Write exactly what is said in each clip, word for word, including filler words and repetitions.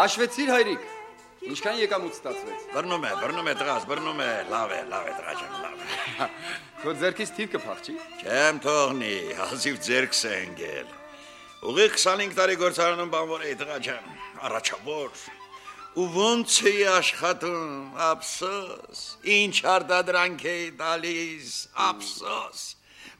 Հաշվեցիր հայրիկ, ինչքան եկամուտ ստացվեց։ Բռնում է, բռնում է տղաս, բռնում է, լավ է, լավ է տղա ջան, լավ է։ Քո ձեռքից թիվ կփախչի։ Չեմ թողնի, հազիվ ձեռքս է ընկել։ Ուղիղ քսանհինգ տարի գործարանում բանվոր էի տղա ջան, առաջավոր։ Ու ոնց էի աշխատում, ափսոս, ինչ արտադրանք էի տալիս, ափսոս։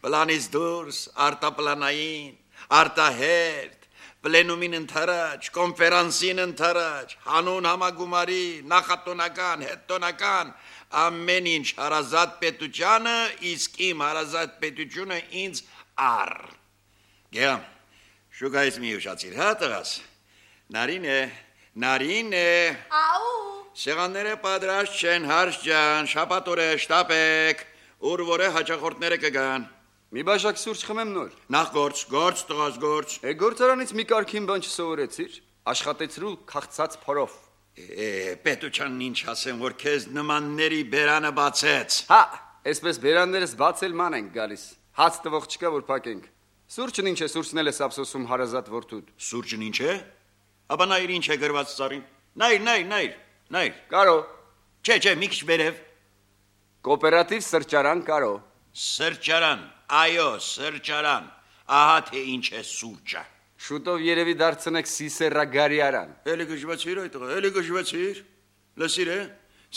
Պլանից դուրս, արտապլանային, արտահերթ, պլենումին ընթരാճ, կոնֆերանսին ընթരാճ, հանուն համագումարի, նախատոնական, հետտոնական, ամեն ինչ հարազատ պետությանը, իսկ իմ հարազատ պետությունը ինձ առ։ Գեհամ, շուկայից մի ուշացիր, հա տղաս, նարին է, նարին է։ Աու։ Սեղանները պատրաստ չեն, հարց ջան, շապատորը շտապեք, ուր որ է հաճախորդները կգան։ Մի բաժակ սուրճ խմեմ նոր։ Նախ գործ, գործ տղաս գործ։ Է գործարանից մի կարգին բան չսովորեցիր, աշխատեցրու քաղցած փորով։ Է, պետությանն ինչ ասեմ, որ քեզ նմանների բերանը բացեց։ Հա, այսպես բերաններս բացել ման ենք գալիս։ Հաց տվող չկա որ փակենք։ Սուրճն ինչ է, սուրճն էլ է սապսոսում հարազատ որդուդ։ Սուրճն ինչ է։ Աբա նայր ինչ է գրված ծառին։ Նայր, նայր, նայր, նայր։ Կարո։ Չէ, չէ, մի քիչ վերև։ Կոոպերատիվ սրճարան կարո։ Սրճարան, այո, սրճարան, ահա թե ինչ է սուրճը։ Շուտով երևի դարձնեք սիսերագարիարան։ Էլի գժվեցիր այդ տղա, էլի գժվեցիր։ Լսիր է,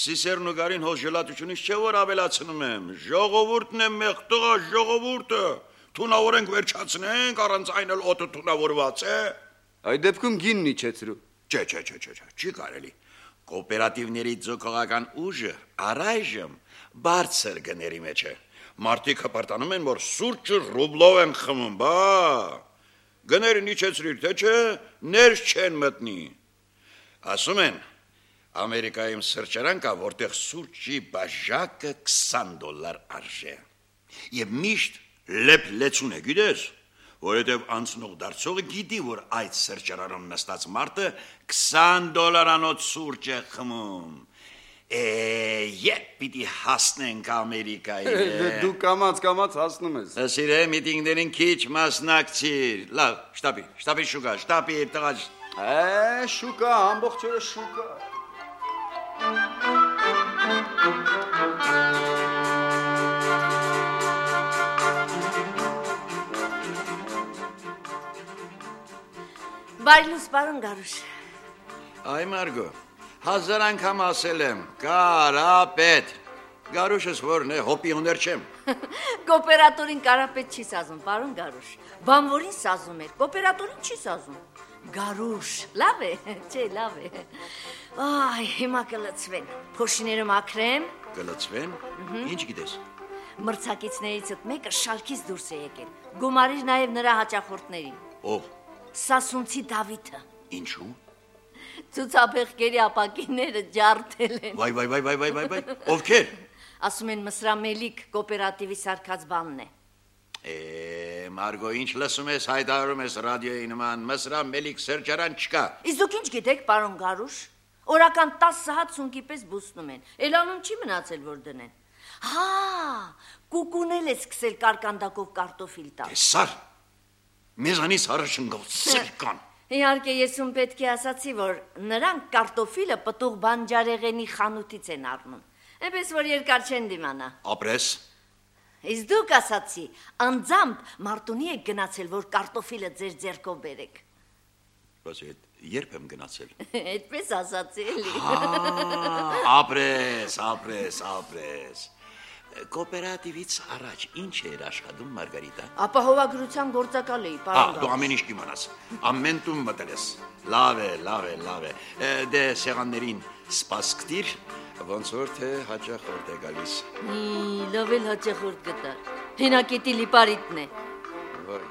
սիսերն ու գարին հոս ժելատությունից չէ որ ավելացնում եմ։ Ժողովուրդն է մեղ տղա, ժողովուրդը։ Թունավորենք վերջացնենք, առանց այն էլ օդը թունավորված է։ Այդ դեպքում գինն իջեցրու։ Չէ, չէ, չէ, չէ, չէ, չի կարելի։ Կոոպերատիվների ձգողական ուժը առայժմ բարձր գների մեջ է։ Մարդիկ հպարտանում են, որ սուրճը ռուբլով են խմում, բա գներն իջեցրիր, թե չէ, ներս չեն մտնի։ Ասում են, Ամերիկայում սրճարան կա, որտեղ սուրճի բաժակը քսան դոլար արժե։ Եվ միշտ լեփ-լեցուն է, գիտես, որովհետև անցնող դարձողը գիտի, որ այդ սրճարանում նստած մարդը քսան դոլարանոց սուրճ է խմում։ Է, երբ պիտի հասնենք Ամերիկայի։ Դու կամաց-կամաց հասնում ես։ Ասիր է, միտինգներին քիչ մասնակցիր։ Լավ, շտապի, շտապի շուկա, շտապի տղա։ Է, շուկա, ամբողջ օրը շուկա։ Բարելուս, պարոն Գարուշ։ Այ Մարգո, հազար անգամ ասել եմ, կարապետ։ Գարուշս որն է, հոպիոներ չեմ։ Կոոպերատորին կարապետ չի սազում, պարոն Գարուշ։ Բանվորին սազում էր, կոոպերատորին չի սազում։ Գարուշ, լավ է, չէ, լավ է։ Այ, հիմա կլծվեն, փոշիները մաքրեմ։ Կլծվեն, ինչ գիտես։ Մրցակիցներիցդ մեկը շալքից դուրս է եկել, գումարիր նաև նրա հաճախորդներին։ Ով։ Սասունցի Դավիթը։ Ինչու։ Ցուցաբեղկերի ապակիները ջարդել են։ Վայ, վայ, վայ, վայ, վայ, վայ, վայ, ովքեր։ Ասում են Մսրամելիք կոոպերատիվի սարքած բանն է։ Է, Մարգո, ինչ լսում ես, հայտարարում ես ռադիոյի նման, Մսրամելիք սրճարան չկա։ Իսկ դուք ինչ գիտեք, պարոն Գարուշ։ Օրական տասը հատ սունկի պես բուսնում են։ Էլանում չի մնացել որ դնեն։ Հա, կուկունել է սկսել կարկանդակով կարտոֆիլ տալ։ Տեսար։ Մեզանից առաջընկավ սրկան։ Իհարկե ես ում պետք է ասացի, որ նրանք կարտոֆիլը պտուղ բանջարեղենի խանութից են առնում։ Այնպես որ երկար չեն դիմանա։ Ապրես։ Իսկ դուք ասացի, անձամբ Մարտունի եք գնացել, որ կարտոֆիլը ձեր ձեռքով բերեք։ Բայց այդ երբ եմ գնացել։ Այդպես ասացի էլի։ Ապրես, ապրես, ապրես։ Կոոպերատիվից առաջ ինչ էր աշխատում Մարգարիտա։ Ապահովագրության գործակալ էի, պարոն Գարուշ։ Ահա, դու ամեն ինչ կիմանաս։ Ամեն տուն մտել ես։ Լավ է, լավ է, լավ է։ Դե սեղաններին սպասքտիր, ոնց որ թե հաճախորդ է գալիս։ Մի լավ էլ հաճախորդ գտա։ Հենակետի լիպարիտն է։ Վայ,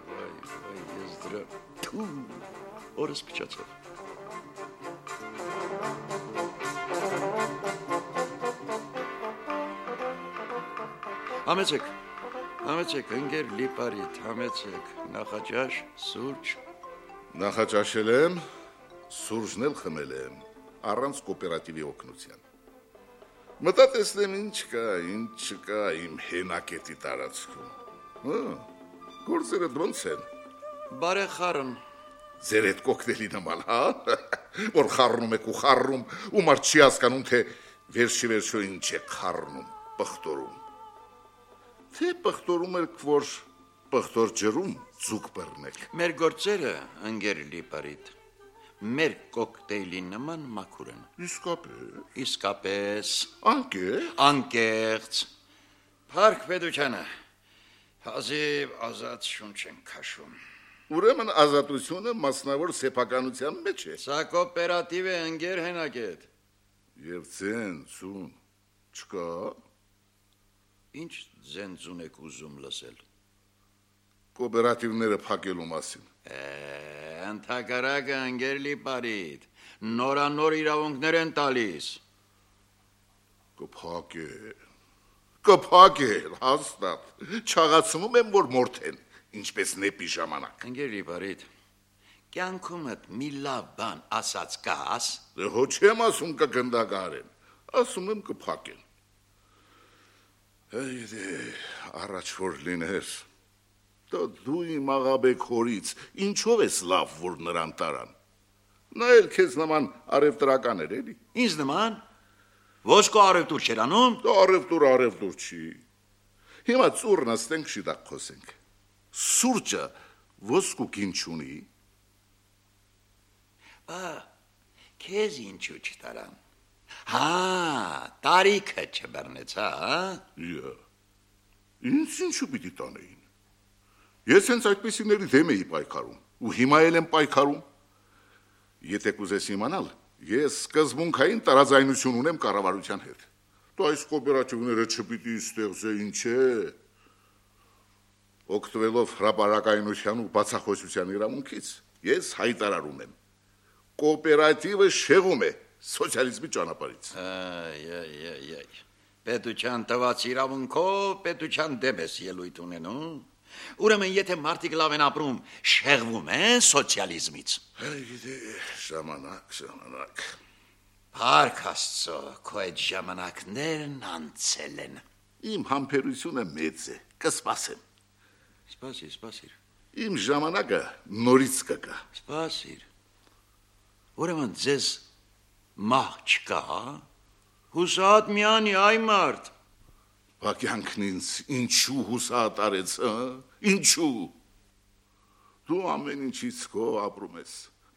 վայ, վայ, ես դրա։ Օրս փչացավ։ Համեցեք, համեցեք, ընկեր Լիպարիտ, համեցեք, նախաճաշ, սուրճ։ Նախաճաշել եմ, սուրճն էլ խմել եմ, առանց կոոպերատիվի օգնության։ Մտա տեսնեմ ինչ կա, ինչ չկա իմ հենակետի տարածքում։ Հա, գործերը ոնց են։ Բարեխառն։ Ձեր հետ կոկտեյլի նման, հա։ Որ խառնում եք ու խառնում, ու մարդ չի հասկանում, թե վերջի վերջո ինչ է խառնում, պղտորում։ Թե պղտորում եք, որ պղտոր ջրում ձուկ բռնեք։ Մեր գործերը, ընկեր Լիպարիտ, մեր կոկտեյլի նման մաքուր են։ Իսկապես։ Իսկապես։ Անկեղծ։ Անկեղծ։ Փառք պետությանը։ Հազիվ ազատ շունչ են քաշում։ Ուրեմն ազատությունը մասնավոր սեփականության մեջ է։ Սա կոոպերատիվ է, ընկեր Հենակետ։ Եվ ձենցուն չկա։ Ինչ ձենցուն եք ուզում լսել։ Կոոպերատիվները փակելու մասին։ Ընդհակառակը, ընկեր Լիպարիտ, նորանոր իրավունքներ են տալիս։ Կփակել, կփակել, հաստատ։ Չաղացնում եմ, որ մորթեն, ինչպես նեպի ժամանակ։ Ընկեր Լիպարիտ, կյանքումդ մի լավ բան ասած կաս։ Դե հո չեմ ասում կգնդագարեն, ասում եմ կփակեն։ Այդե, առաջ որ լիներ, դու իմ աղաբեկ հորից, ինչով ես լավ, որ նրան տարան։ Նա էլ քեզ նման արևտրական էր, էլի։ Ինձ նման։ Ոսկու արևտուր չեր անում։ Դա արևտուր արևտուր չի։ Հիմա ծուռ նստենք շիտակ խոսենք։ Սուրճը ոսկու կին չունի։ Բա, քեզ ինչու չտարան։ Հա, տարիքը չբռնեցա, հա։ Իա։ Ինձ ինչու պիտի տանեին։ Ես հենց այդպիսիների դեմ էի պայքարում, ու հիմա էլ եմ պայքարում։ Եթե կուզես իմանալ, ես սկզբունքային տարաձայնություն ունեմ կառավարության հետ։ Դու այս կոոպերատիվները չպիտի ստեղծե, ինչ է։ Օգտվելով հրապարակայնության ու բացախոսության իրավունքից, ես հայտարարում եմ. կոոպերատիվը շեղում է սոցիալիզմի ճանապարհից։ Այ, այ, այ, այ։ Պետության տված իրավունքով պետության դեմ ես ելույթ ունենում։ Ուրեմն եթե մարդիկ լավ են ապրում, շեղվում են սոցիալիզմից։ Այդե, ժամանակ, ժամանակ։ Փառք Աստծո, քո այդ ժամանակներն անցել են։ Իմ համբերությունը մեծ է, կսպասեմ։ Սպասիր, սպասիր։ Իմ ժամանակը նորից կգա։ Սպասիր։ Ուրեմն ձեզ մահ չկա, հուսահատ միանի այ մարդ։ Բակյանքն ինձ ինչու հուսահատ արեց, հա? Ինչու։ Դու ամեն ինչից քո ապրում ես,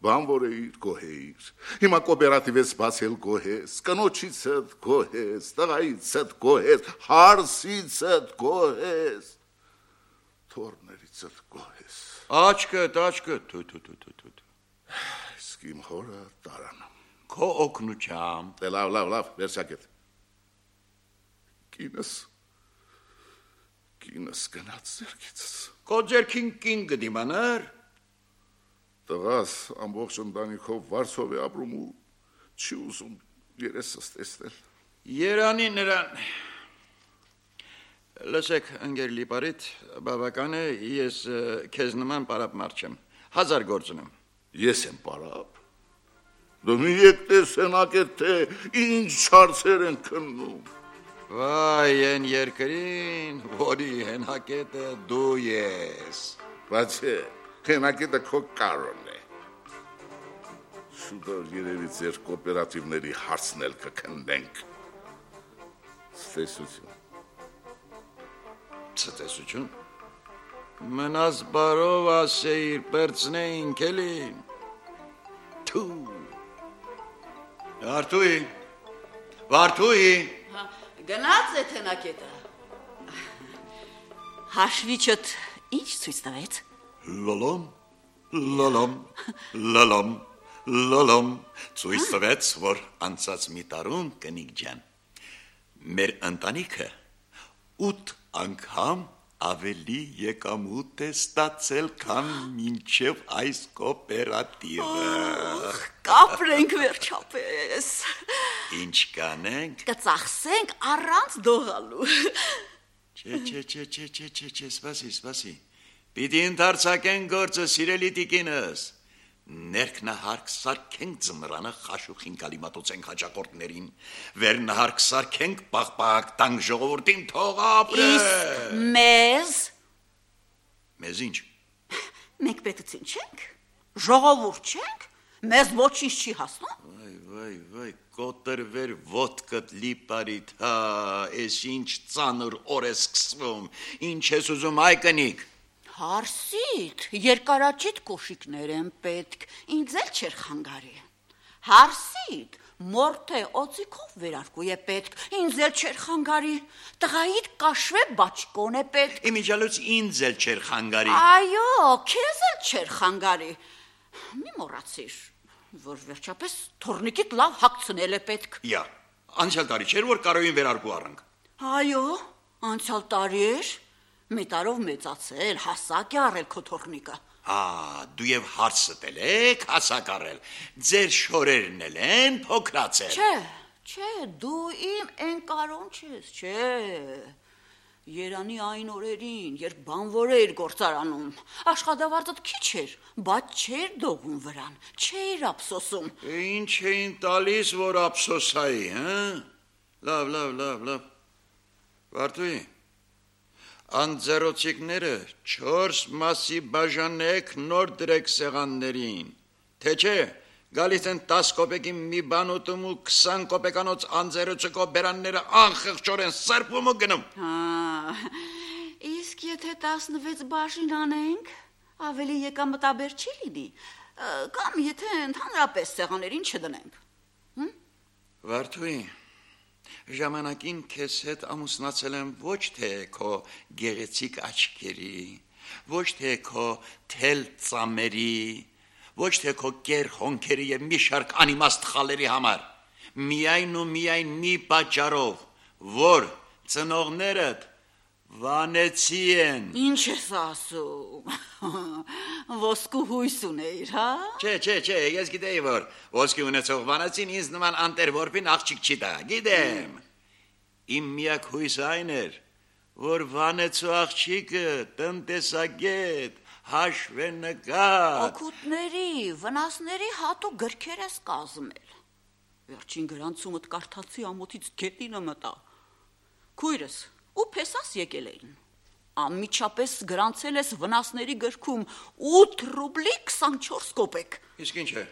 բան որ էիր, գոհեիր։ Հիմա կոոպերատիվ ես բացել գոհես, կնոջիցդ գոհես, տղայիցդ գոհես, հարսիցդ գոհես, թորներիցդ գոհես։ Աչքդ, աչքդ, թու թու թու թու թու։ Իսկ իմ հորը տարան։ Քո օգնությամբ։ Դե լավ, լավ, լավ, վերջակետ։ Կինս, կինս գնաց ձերքիցս։ Քո ձերքին կին գդիմանար։ Տղաս ամբողջ ընտանիքով վարձով է ապրում ու չի ուզում երեսս տեսնել։ Երանի նրան։ Լսեք, ընկեր Լիպարիտ, բավական է, ես քեզ նման պարապ մարդ չեմ։ Հազար գործ ունեմ։ Ես եմ պարապ։ Դու մի եկ տեսնակ է, թե ինչ հարցեր են քննում։ Վայ, են երկրին, որի հենակետը դու ես։ Բայց է, հենակետը քո կարոն է։ Շուտով երևի ձեր կոոպերատիվների հարցն էլ կքննենք։ Ցտեսություն։ Ցտեսություն։ Մնաս բարով ասեիր, պերծնեինք էլին։ Թու։ Վարդուի, Վարդուի։ Գնաց է թենակետը։ Հաշվիչդ ինչ ցույց տվեց։ Լոլոմ, լոլոմ, լոլոմ, լոլոմ, ցույց տվեց, որ անցած մի տարում կնիկ ջան։ Մեր ընտանիքը ութ անգամ ավելի եկամուտ է ստացել, քան մինչև այս կոոպերատիվը։ Կապրենք վերջապես։ Ինչ կանենք։ Կծախսենք առանց դողալու։ Չէ, չէ, չէ, չէ, չէ, չէ, չէ, սպասի, սպասի։ Պիտի ընդարձակեն գործը, սիրելի տիկինս։ Ներքնահարկ սարքենք ձմռանը խաշուխին կալի մատուցենք հաճակորդներին, վերնահարկ սարքենք պաղպաղ տանք ժողովրդին թող ապրե։ Իսկ մեզ Մեզ ինչ։ մենք պետություն չենք, ժողովուրդ չենք, մեզ ոչինչ չի հասնում։ Վայ, վայ, վայ, կոտրվեր ոտքդ լիպարիդ, հա, ես ինչ ծանր օր է սկսվում, ինչ ես ուզում այ կնիկ։ Հարսիտ, երկարաճիտ կոշիկներ են պետք, ինձ էլ չեր խանգարի։ Հարսիտ, մորթե օծիկով վերարկու է պետք, ինձ էլ չեր խանգարի։ Տղայիդ կաշվե բաճկոն է պետք։ Իմիջալուց ինձ էլ չեր խանգարի։ Այո, քեզ էլ չեր խանգարի։ Մի մոռացիր, որ վերջապես թորնիկիդ լավ հագցնել է պետք։ Յա, անցյալ տարի չէր, որ կարոյին վերարկու առանք։ Այո, անցյալ տարի էր։ Մի տարով մեծացել, հասակ է առել քո թորնիկը։ Հա, դու եւ հարստել եք, հասակ առել։ Ձեր շորերն էլ են փոքրացել։ Չէ, չէ, դու իմ են կարոն չես, չէ։ Երանի այն օրերին, երբ բանվոր էր գործարանում, աշխատավարձդ քիչ էր, բայց չէր դողում վրան, չէր ափսոսում։ Ինչ էին տալիս, որ ափսոսայի, հա։ Լավ, լավ, լավ, լավ։ Վարդուի, անձեռոցիկները չորս մասի բաժանեք, նոր դրեք սեղաններին, թե չէ, գալիս են տաս կոպեկի մի բան ուտում ու քսան կոպեկանոց անձեռոցիկով բերանները անխղճորեն սրբում ու գնում։ Հա, իսկ եթե տասնվեց բաժին անենք, ավելի եկամտաբեր չի լինի, կամ եթե ընդհանրապես սեղաներին չդնենք։ Վարդուի, ժամանակին քեզ հետ ամուսնացել եմ ոչ թե քո գեղեցիկ աչքերի, ոչ թե քո թել ծամերի, ոչ թե քո կեր հոնքերի եւ մի շարք անիմաստ խալերի համար, միայն ու միայն մի պատճառով, որ ծնողներդ վանեցի են։ Ինչ ես ասում, ոսկու հույս ունեիր, հա։ Չէ, չէ, չէ, ես գիտեի, որ ոսկի ունեցող վանեցին ինձ նման անտեր որպին աղջիկ չի տա, գիտեմ։ Իմ միակ հույսը այն էր, որ վանեցու աղջիկը տնտեսագետ, հաշվենկատ։ Օգուտների, վնասների հատու գրքեր ես կազմել։ Վերջին գրանցումդ կարդացի ամոթից գետինը մտա։ Քույրս, ու փեսաս եկել էին։ Անմիջապես գրանցել ես վնասների գրքում ութ ռուբլի քսանչորս կոպեկ։ Իսկ ինչ է,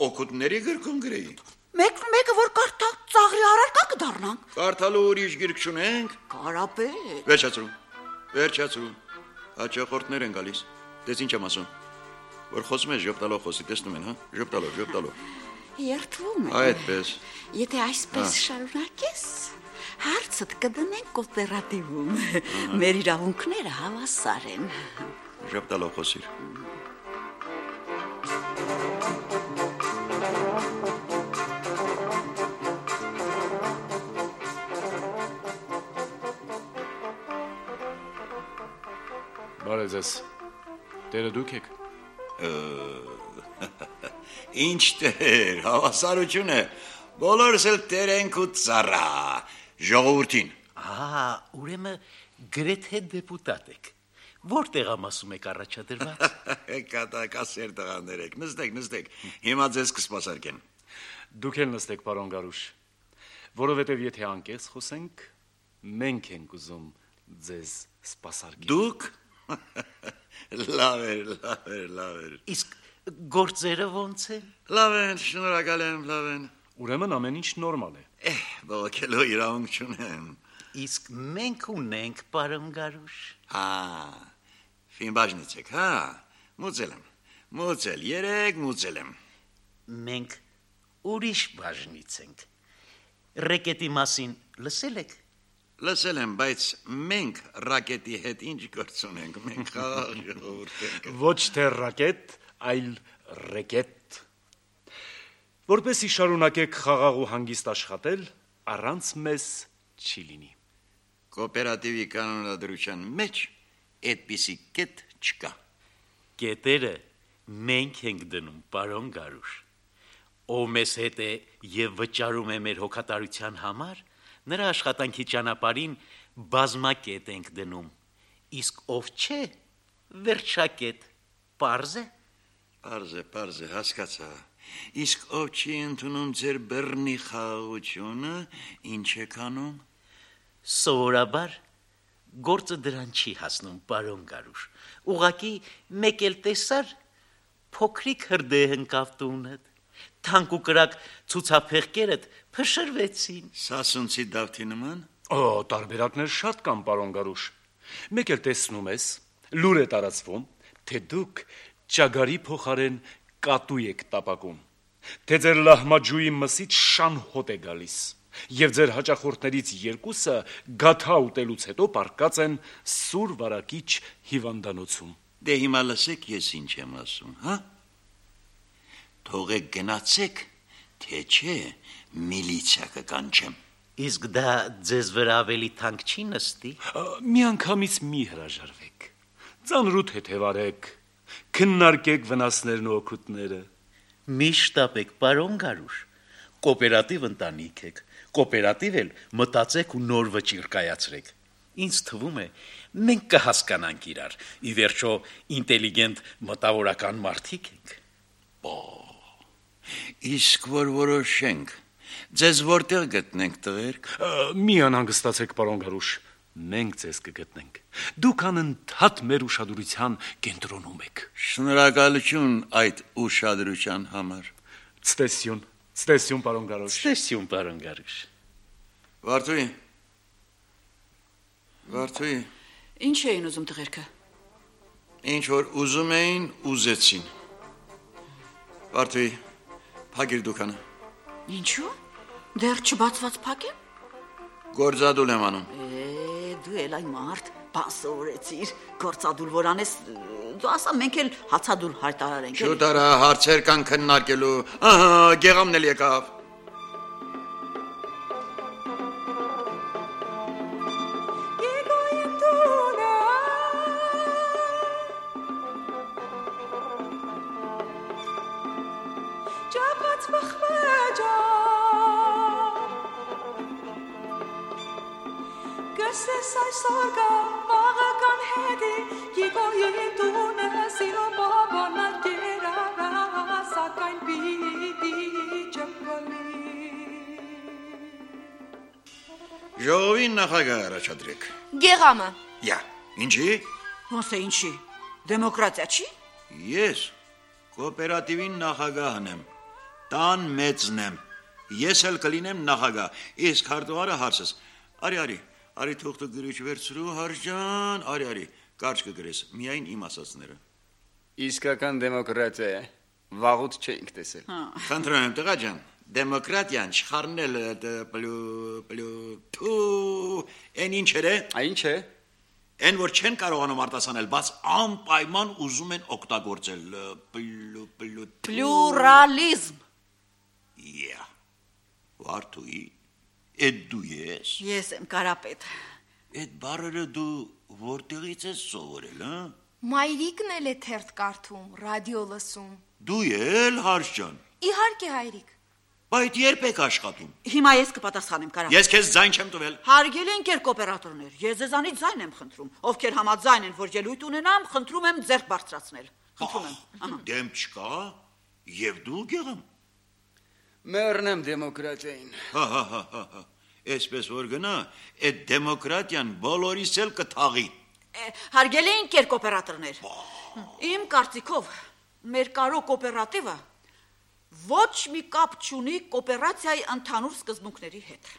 օգուտների գրքում գրեի։ Մեկ մեկը որ կարդա ծաղրի առարկա կդառնանք։ Կարդալու ուրիշ գրք չունենք։ Կարապետ։ Վերջացրու, վերջացրու, հաճախորդներ են գալիս, դες ինչ եմ ասում, որ խոսում ես ժպտալով խոսի, տեսնում են, հա, ժպտալով, ժպտալով։ Երդվում եմ։ Այդպես։ Եթե այսպես շարունակես, հարցդ կդնենք կոոպերատիվում, մեր իրավունքները հավասար են։ Ժպտալով խոսիր։ Բարև ձեզ, տերը դուք եք։ Ինչ տեր, հավասարություն է, բոլորս էլ տեր ենք ու ծառա, ժողովրդին։ Ահա, ուրեմն գրեթե դեպուտատ եք։ Որտեղ ամասում եք առաջադրված։ Կատակասեր տղաներ եք, նստեք, նստեք, հիմա ձեզ կսպասարկեն։ Դուք էլ նստեք, պարոն Գարուշ, որովհետև եթե անկեղծ խոսենք, մենք ենք ուզում ձեզ սպասարկել։ Դուք լավ էր, լավ էր, լավ էր։ Իսկ գործերը ոնց են։ Լավ են, շնորհակալ եմ, լավ են։ Ուրեմն ամեն ինչ նորմալ է։ Էհ, բողոքելու իրավունք չունեմ։ Իսկ մենք ունենք, պարոն Գարուշ։ Հա, ֆինբաժնից եք, հա, մուծել եմ, մուծել, երեք մուծել եմ։ Մենք ուրիշ բաժնից ենք։ Ռեկետի մասին լսել եք։ Լսել եմ, բայց մենք ռակետի հետ ինչ գործ ունենք, մենք խաղաղ ժողովուրդ ենք։ Ոչ թե ռակետ, այլ ռեկետ։ Որպեսզի շարունակեք խաղաղ ու հանգիստ աշխատել, առանց մեզ չի լինի։ Կոոպերատիվի կանոնադրության մեջ այդպիսի կետ չկա։ Կետերը մենք ենք դնում, պարոն Գարուշ։ Ով մեզ հետ է եւ վճարում է մեր հոգատարության համար, նրա աշխատանքի ճանապարհին բազմակետ ենք դնում, իսկ ով չէ, վերջակետ, պարզ է։ Պարզ է, պարզ է, հասկացա։ Իսկ ով չի ընդունում ձեր բեռնի խաղաղությունը, ինչ եք անում։ Սովորաբար գործը դրան չի հասնում, պարոն Գարուշ։ Ուղղակի մեկ էլ տեսար, փոքրիկ հրդեհ ընկավ տունդ, թանկ ու կրակ ցուցափեղկերդ փշրվեցին։ Սասունցի Դավթի նման։ Օ, տարբերակներ շատ կան, պարոն Գարուշ։ Մեկ էլ տեսնում ես, լուր է տարածվում, թե դուք ճագարի փոխարեն կատու եք տապակում, թե ձեր լահմաջուի մսից շան հոտ է գալիս, եւ ձեր հաճախորդներից երկուսը գաթա ուտելուց հետո պարկած են սուր վարակիչ հիվանդանոցում։ Դե հիմա լսեք, ես ինչ եմ ասում, հա։ Թողեք գնացեք, թե չէ միլիցիա կկանչեմ։ Իսկ դա ձեզ վրա ավելի թանկ չի նստի։ Միանգամից մի հրաժարվեք, ծանրութ հետևարեք, քննարկեք վնասներն ու օգուտները։ Մի շտապեք, պարոն Գարուշ, կոոպերատիվ ընտանիք եք, կոոպերատիվ էլ մտածեք ու նոր վճիռ կայացրեք։ Ինձ թվում է, մենք կհասկանանք իրար, ի վերջո ինտելիգենտ մտավորական մարդիկ ենք։ Իսկ որ որոշենք, ձեզ որտեղ գտնենք տղերք։ Մի անհանգստացեք, պարոն Գարուշ, մենք ձեզ կգտնենք։ Դուք անընդհատ մեր ուշադրության կենտրոնում եք։ Շնորհակալություն այդ ուշադրության համար։ Ցտեսություն, ցտեսություն, պարոն Գարուշ։ Ցտեսություն, պարոն Գարուշ։ Վարդուի։ Վարդուի։ Ինչ էին ուզում տղերքը։ Ինչ որ ուզում էին, ուզեցին։ Վարդուի, փակիր դուքանը։ Ինչու՞։ Դեռ չբացված փակ է։ Գործադուլ եմ անում։ Է, դու էլ այն մարդ, բան սովորեցիր, գործադուլ որ անես, դու ասա մենք էլ հացադուլ հայտարարենք։ Շուտ արա, հարցեր կան քննարկելու։ Ահա, գեղամն էլ եկավ։ Ժողովին նախագահ առաջադրեք։ Գեղամը։ Յա, ինչի։ Ոնց է ինչի։ Դեմոկրատիա չի։ Ես կոոպերատիվին նախագահն եմ։ Տան մեծն եմ։ Ես էլ կլինեմ նախագահ։ Իսկ հարտուղարը հարցս։ Արի, արի, արի թուղթը գրիչ վերցրու, Հարժան, արի, արի, կարճ կգրես, միայն իմ ասածները։ Իսկական դեմոկրատիա է։ Վաղուց չէինք տեսել։ Խնդրում եմ, տղա ջան, դեմոկրատիան չխառնել պլու պլու թու են ինչեր է։ Ինչ է։ Են որ չեն կարողանում արտասանել, բայց անպայման ուզում են օգտագործել պլու պլու Պլուրալիզմ։ Յա։ Վարդուի, էդ դու ես։ Ես եմ Կարապետ։ Էդ բառերը դու որտեղից ես սովորել, հա։ Մայրիկն էլ է թերթ կարդում, ռադիո լսում։ Դու էլ Հարժ ջան։ Իհարկե, հայրիկ։ Բայց երբ եք աշխատում։ Հիմա ես կպատասխանեմ Կարապետ։ Ես քեզ ձայն չեմ տվել։ Հարգելի ընկեր կոոպերատորներ, ես ձեզանից ձայն եմ խնդրում, ովքեր համաձայն են, որ ելույթ ունենամ, խնդրում եմ ձեռք բարձրացնել։ Խնդրում եմ։ Ահա։ Դեմ չկա, եւ դու գեղամ։ Մեռնեմ դեմոկրատիային։ Հա հա հա հա։ Այսպես որ գնա, այդ դեմոկրատիան բոլորիս էլ կթաղի։ Հարգելի ընկեր կոոպերատորներ, իմ կարծիքով մեր կարո կոոպերատիվը ոչ մի կապ չունի կոոպերացիայի ընդհանուր սկզբունքների հետ,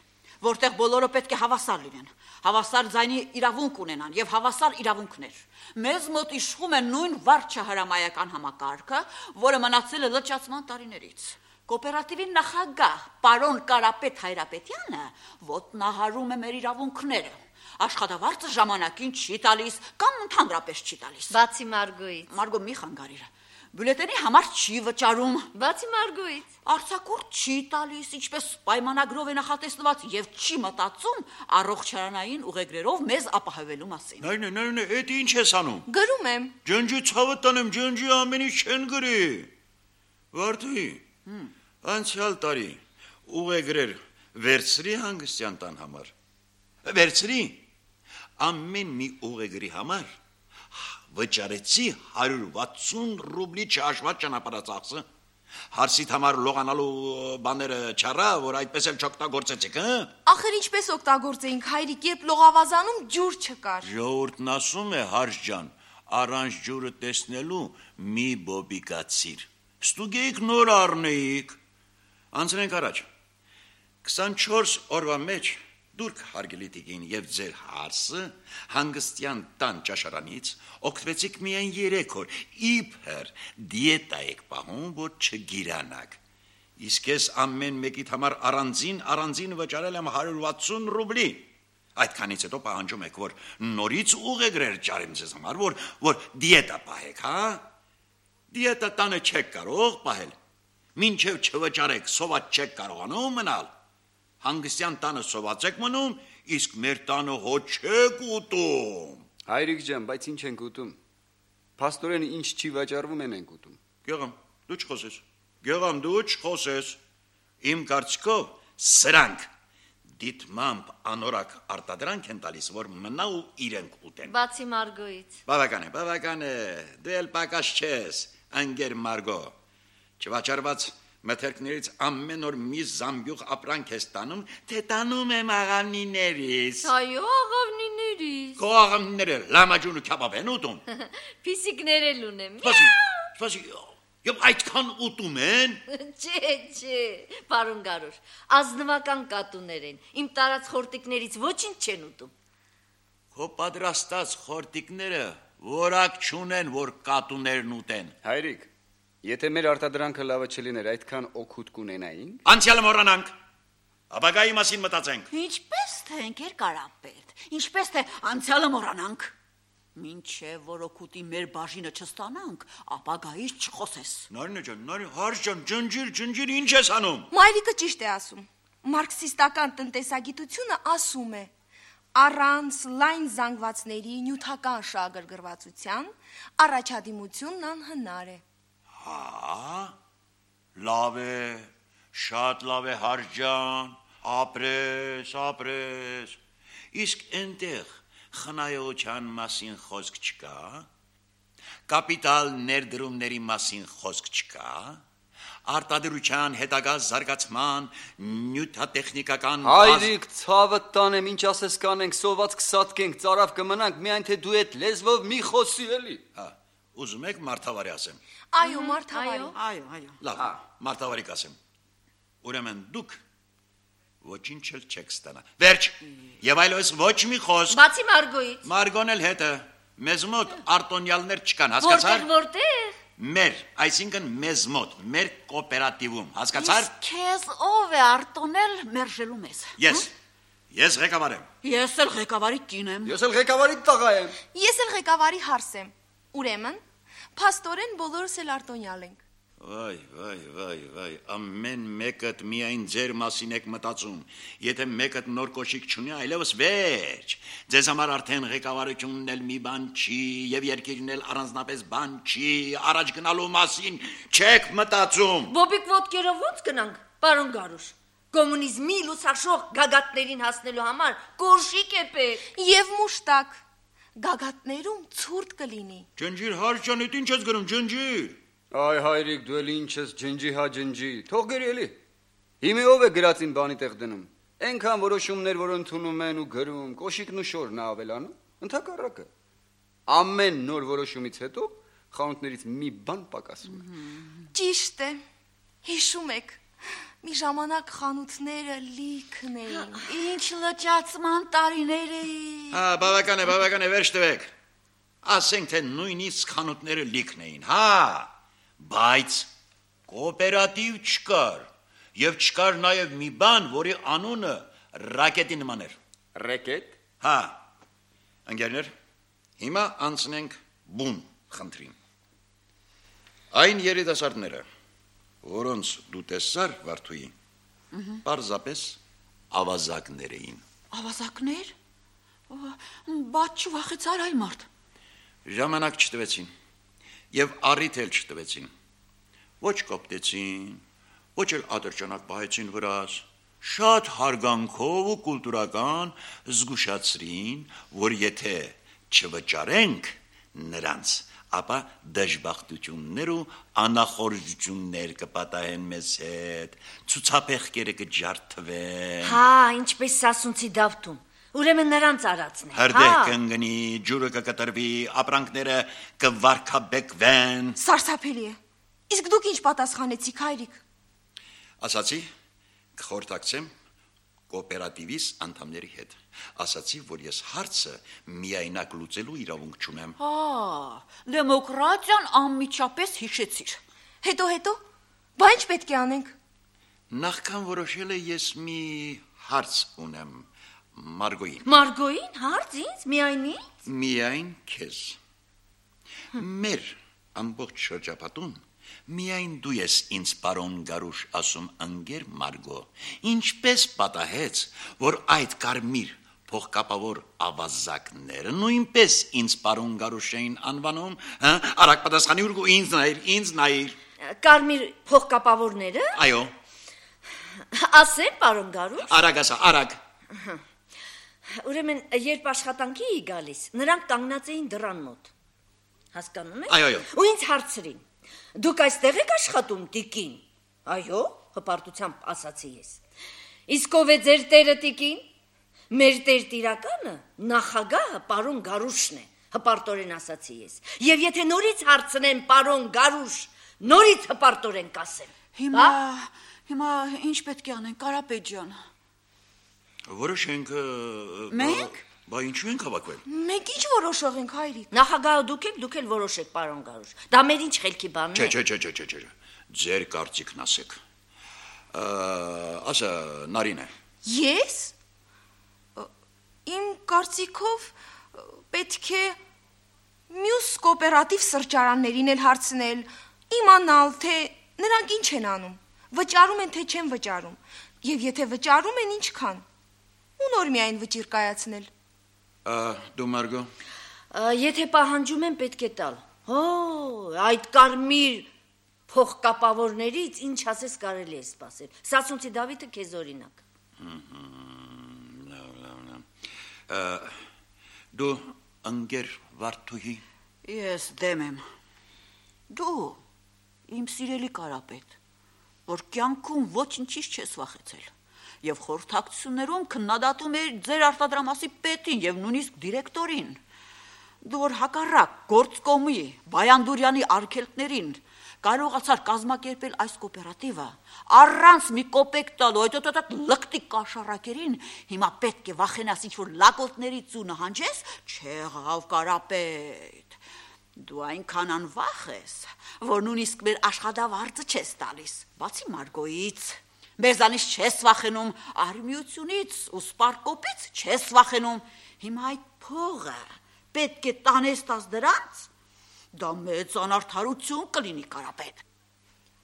որտեղ բոլորը պետք է հավասար լինեն, հավասար ձայնի իրավունք ունենան եւ հավասար իրավունքներ։ Մեզ մոտ իշխում է նույն վարչահրամայական համակարգը, որը մնացել է լճացման տարիներից։ Կոոպերատիվի նախագահ պարոն Կարապետ Հայրապետյանը ոտնահարում է մեր իրավունքները։ Աշխատավարձը ժամանակին չի տալիս կամ ընդհանրապես չի տալիս։ Բացի Մարգոյից։ Մարգո մի խանգարիր։ Բյուլետենի համար չի վճարում։ Բացի Մարգոյից։ Արձակուրդ չի տալիս, ինչպես պայմանագրով է նախատեսված եւ չի մտածում առողջարանային ուղեգրերով մեզ ապահովելու մասին։ Նայ, նայ, նայ, էդ ինչ ես անում։ Գրում եմ։ Ջնջի ցավը տանեմ, ջնջի ամեն ինչ չեն գրի։ Վարդուի։ Անցյալ տարի ուղեգրեր վերցրի հանգստյան տան համար։ Վերցրի։ ամեն մի ուղեգրի համար վճարեցի հարյուր վաթսուն ռուբլի չհաշված ճանապարհածախսը։ Հարսիդ համար լողանալու բաները չառա, որ այդպես էլ չօգտագործեցիք, հա։ Ախր ինչպես օգտագործեինք, հայրիկ, երբ լողավազանում ջուր չկար։ Ժողովուրդն ասում է, հարս ջան, առանց ջուրը տեսնելու մի բոբիկացիր։ Ստուգեիք նոր առնեիք։ Անցնենք առաջ։ քսանչորս օրվա մեջ դուրք հարգելի տիկին եւ ձեր հարսը հանգստյան տան ճաշարանից օգտվեցիք միայն երեք օր, իբր դիետա եք պահում, որ չգիրանաք։ Իսկ ես ամեն մեկիդ համար առանձին առանձին վճարել եմ հարյուր վաթսուն ռուբլի։ Այդքանից հետո պահանջում եք, որ նորից ուղեգրեր ճարեմ ձեզ համար, որ որ դիետա պահեք, հա։ Դիետա տանը չեք կարող պահել։ Մինչև չվճարեք, սոված չեք կարողանում մնալ։ Հանգստյան տանը սոված եք մնում, իսկ մեր տանը հո չեք ուտում։ Հայրիկ ջան, բայց ինչ ենք ուտում։ Փաստորեն ինչ չի վաճառվում են ենք ուտում։ Գեղամ, դու չխոսես։ Գեղամ, դու չխոսես։ Իմ կարծիքով սրանք դիտմամբ անորակ արտադրանք են տալիս, որ մնա ու իրենք ուտեն։ Բացի Մարգոից։ Բավական է, բավական է։ Դու էլ պակաս չես, անգեր Մարգո։ Չվաճառված մթերքներից ամեն օր մի զամբյուղ ապրանք ես տանում, թե տանում եմ աղավնիներից։ Այո, աղավնիներից։ Քո աղավնիները լամաջուն ու քյաբաբ են ուտում։ Փիսիկներ էլ ունեմ։ Սպասի, սպասի, եւ այդքան ուտում են։ Չէ, չէ, պարոն Գարուշ, ազնվական կատուներ են։ Իմ տարած խորտիկներից ոչինչ չեն ուտում։ Քո պատրաստած խորտիկները որակ չունեն, որ կատուներն ուտեն։ Հայրիկ, եթե մեր արտադրանքը լավը չլիներ, այդքան օգուտ կունենայինք։ Անցյալը մոռանանք։ Ապագայի մասին մտածենք։ Ինչպես թե ընկեր Կարապետ, ինչպես թե անցյալը մոռանանք։ Մինչև որ օգուտի մեր բաժինը չստանանք, ապագայից չխոսես։ Նարինե ջան, նարի հարս ջան, ջնջիր, ջնջիր, ինչ ես անում։ Մայրիկը ճիշտ է ասում։ Մարքսիստական տնտեսագիտությունը ասում է. առանց լայն զանգվածների նյութական շահագրգռվածության առաջադիմությունն անհնար է։ Հա, լավ է, շատ լավ է հարս ջան, ապրես, ապրես։ Իսկ այնտեղ խնայողության մասին խոսք չկա, կապիտալ ներդրումների մասին խոսք չկա, արտադրության հետագա զարգացման նյութատեխնիկական Հայրիկ, ցավը տանեմ, ինչ ասես կանենք, սոված կսատկենք, ծարավ կմնանք, միայն թե դու այդ լեզվով մի խոսի էլի։ Հա, ուզում եք մարդավարի ասեմ։ Այո, մարդավարի։ Այո, այո։ Լավ, մարդավարի կասեմ։ Ուրեմն դուք ոչինչ էլ չեք ստանա։ Վերջ, եւ այլևս ոչ մի խոսք։ Բացի Մարգոից։ Մարգոն էլ հետը, մեզ մոտ արտոնյալներ չկան, հասկացար։ Որտեղ, որտեղ։ Մեր, այսինքն մեզ մոտ, մեր կոոպերատիվում, հասկացար։ Իսկ քեզ ով է արտոնել մերժելու մեզ։ Ես, ես ղեկավար եմ։ Ես էլ ղեկավարի կին եմ։ Ես էլ ղեկավարի տղա եմ։ Ես էլ ղեկավարի հարս եմ։ Ուրեմն, փաստորեն բոլորս էլ արտոնյալ ենք։ Վայ, վայ, վայ, վայ, ամեն մեկդ միայն ձեր մասին եք մտածում։ Եթե մեկդ նոր կոշիկ չունի, այլևս վերջ։ Ձեզ համար արդեն ղեկավարությունն էլ մի բան չի, եւ երկիրն էլ առանձնապես բան չի, առաջ գնալու մասին չեք մտածում։ Բոբիկ ոտքերով ո՞նց գնանք, պարոն Գարուշ։ Կոմունիզմի լուսաշող գագաթներին հասնելու համար կոշիկ է պետք։ Եվ մուշտակ գագաթներում ցուրտ կլինի։ Ջնջիր հարս ջան, ի՞նչ ես գրում, ջնջիր։ Այ հայրիկ, դու էլ ինչ ես ջնջի հա ջնջի, թող գերի էլի։ Հիմա ով է գրածին բանի տեղ դնում։ Այնքան որոշումներ, որ ընդունում են ու գրում, կոշիկն ու շորն ավելանում, ընդհակառակը։ Ամեն նոր որոշումից հետո խանութներից մի բան պակասում է։ Ճիշտ է։ Հիշում եք, մի ժամանակ խանութները լիքն էին։ Ինչ լճացման տարիներ էին։ Հա, բավական է, բավական է, վերջ տվեք։ Ասենք թե նույնիսկ խանութները լիքն էին, հա, բայց կոոպերատիվ չկար, եւ չկար նաեւ մի բան, որի անունը ռակետի նման էր։ Ռեկետ։ Հա, ընկերներ, հիմա անցնենք բուն խնդրին։ Այն երիտասարդները, որոնց դու տեսար Վարդուի, պարզապես ավազակներ էին։ Ավազակներ։ Բաց չվախեցար այլ մարդ։ Ժամանակ չտվեցին եւ առիթ էլ չտվեցին։ Ոչ կոպտեցին, ոչ էլ ատրճանակ պահեցին վրաս, շատ հարգանքով ու կուլտուրական զգուշացրին, որ եթե չվճարենք նրանց, ապա դժբախտություններ ու անախորժություններ կպատահեն մեզ հետ, ցուցափեղկերը կջարդվեն։ Հա, ինչպես սասունցի դավթում։ Ուրեմն նրանց արածն է։ Հրդեհ կընկնի, ջուրը կկտրվի, ապրանքները կվարկաբեկվեն։ Սարսափելի է։ Իսկ դուք ինչ պատասխանեցիք, հայրիկ։ Ասացի, կխորհրդակցեմ կոոպերատիվիս անդամների հետ։ Ասացի, որ ես հարցը միայնակ լուծելու իրավունք չունեմ։ Հա, դեմոկրատիան անմիջապես հիշեցիր։ Հետո հետո, բա ինչ պետք է անենք։ Նախքան որոշել է ես մի հարց ունեմ Մարգոյին։ Մարգոյին հարց ինձ միայն ինձ։ Միայն քեզ։ Մեր ամբողջ շրջապատում միայն դու ես ինձ պարոն Գարուշ ասում ընկեր Մարգո, ինչպես պատահեց, որ այդ կարմիր փողկապավոր ավազակները նույնպես ինձ պարոն Գարուշ էին անվանում, հա, արագ պատասխանի ու ինձ նայր, ինձ նայր։ Կարմիր փողկապավորները։ Այո։ Ասեմ, պարոն Գարուշ։ Արագ ասա, արագ։ Ուրեմն, երբ աշխատանքի էի գալիս, նրանք կանգնած էին դռան մոտ։ Հասկանում եք։ Այո, այո։ Ու ինձ հարցրին. Դուք այստեղ եք աշխատում, տիկին։ Այո, հպարտությամբ ասացի ես։ Իսկ ով է ձեր տերը, տիկին։ Մեր տեր տիրականը նախագահը պարոն Գարուշն է, հպարտորեն ասացի ես։ Եվ եթե նորից հարցնեն պարոն Գարուշ, նորից հպարտորեն կասեմ։ Հիմա, հիմա ինչ պետք է անենք, Կարապետ ջան։ Որոշենք։ Մենք։ Բա ինչու ենք հավաքվել։ Մենք ինչ որոշող ենք, հայրիկ։ Նախագահը դուք եք, դուք էլ որոշեք, պարոն Գարուշ։ Դա մեր ինչ խելքի բանն է։ Չէ, չէ, չէ, չէ, չէ։ Ձեր կարծիքն ասեք։ Ասա, Նարինե։ Ես։ Իմ կարծիքով պետք է մյուս կոոպերատիվ սրճարաններին էլ հարցնել, իմանալ, թե նրանք ինչ են անում, վճարում են, թե չեն վճարում, եւ եթե վճարում են, ինչքան, ու նոր միայն վճիր կայացնել։ Դու Մարգո։ Եթե պահանջում են, պետք է տալ։ Հո, այդ կարմիր փողկապավորներից ինչ ասես կարելի է սպասել։ Սասունցի Դավիթը քեզ օրինակ։ Դու ընկեր Վարդուհի։ Ես դեմ եմ։ Դու իմ սիրելի Կարապետ, որ կյանքում ոչինչից չես վախեցել եւ խորհրդակցություններում քննադատում էր ձեր արտադրամասի պետին եւ նույնիսկ դիրեկտորին։ Դու որ հակառակ գործկոմի Բայանդուրյանի արգելքներին կարողացար կազմակերպել այս կոոպերատիվը առանց մի կոպեկ տալու այդ լկտի կաշառակերին, հիմա պետք է վախենաս ինչ-որ լակոտներից ու նահանջես, չեղավ Կարապետ։ Դու այնքան անվախ ես, որ նույնիսկ մեր աշխատավարձը չես տալիս, բացի Մարգոյից։ Մեզանից չես վախենում արմիությունից ու սպարկոպից չես վախենում, հիմա այդ փողը պետք է տանես տաս դրանց, դա մեծ անարդարություն կլինի Կարապետ։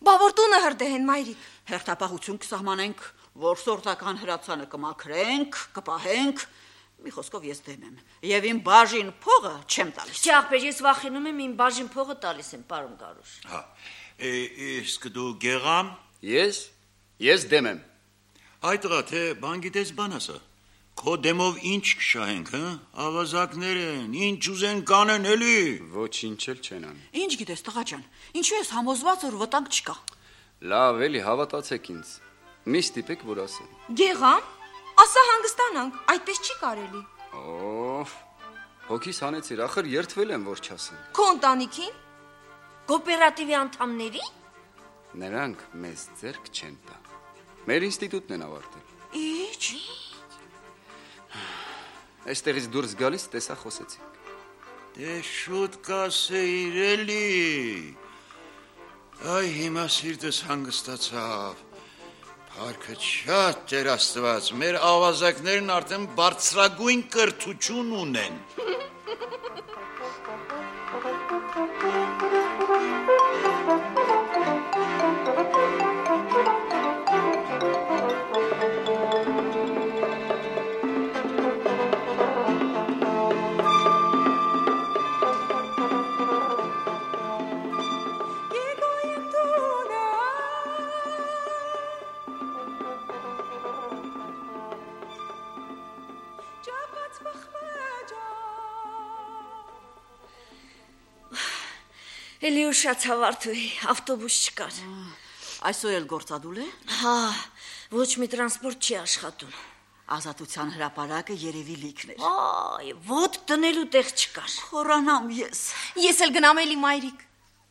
Բա որ տունը հրդեհ են, մայրիկ։ Հերթապահություն կսահմանենք, որ սորտական հրացանը կմաքրենք, կպահենք, մի խոսքով ես դեմ եմ, եւ իմ բաժին փողը չեմ տալիս։ Չէ, ախպեր, ես վախենում եմ իմ բաժին փողը տալիս եմ, պարոն Գարուշ։ Հա, իսկ դու Գեղամ։ Ես, ես դեմ եմ։ Այդ տղա, թե բան գիտես բան ասա։ Քո դեմով ինչ կշահենք, հա? Ավազակներ են, ինչ ուզեն կանեն էլի։ Ոչինչ էլ չեն անի։ Ինչ գիտես, տղա ջան, ինչու ես համոզված, որ վտանգ չկա։ Լավ, էլի հավատացեք ինձ։ Մի ստիպեք, որ ասեմ։ Գեղամ, ասա հանգստանանք, այդպես չի կարելի։ Օ, հոգիս հանեցիր, ախր երթվել եմ, որ չասեմ։ Քո ընտանիքին։ Կոոպերատիվի անդամների։ Նրանք մեզ ձեռք չեն տա։ Մեր ինստիտուտն են ավարտել։ Ինչ։ Այստեղից դուրս գալիս տեսա խոսեցինք։ Դե շուտ կասեիր էլի։ Այ հիմա սիրտս հանգստացավ։ Փառքը շատ Տեր Աստված, մեր ավազակներն արդեն բարձրագույն կրթություն ունեն։ Էլի ուշացավ Արթուրի, ավտոբուս չկար։ Այսօր էլ գործադուլ է։ Հա, ոչ մի տրանսպորտ չի աշխատում։ Ազատության հրապարակը երևի լիքն էր։ Այ, ոտ տնելու տեղ չկար։ Խորանամ ես։ Ես էլ գնամ էլի մայրիկ։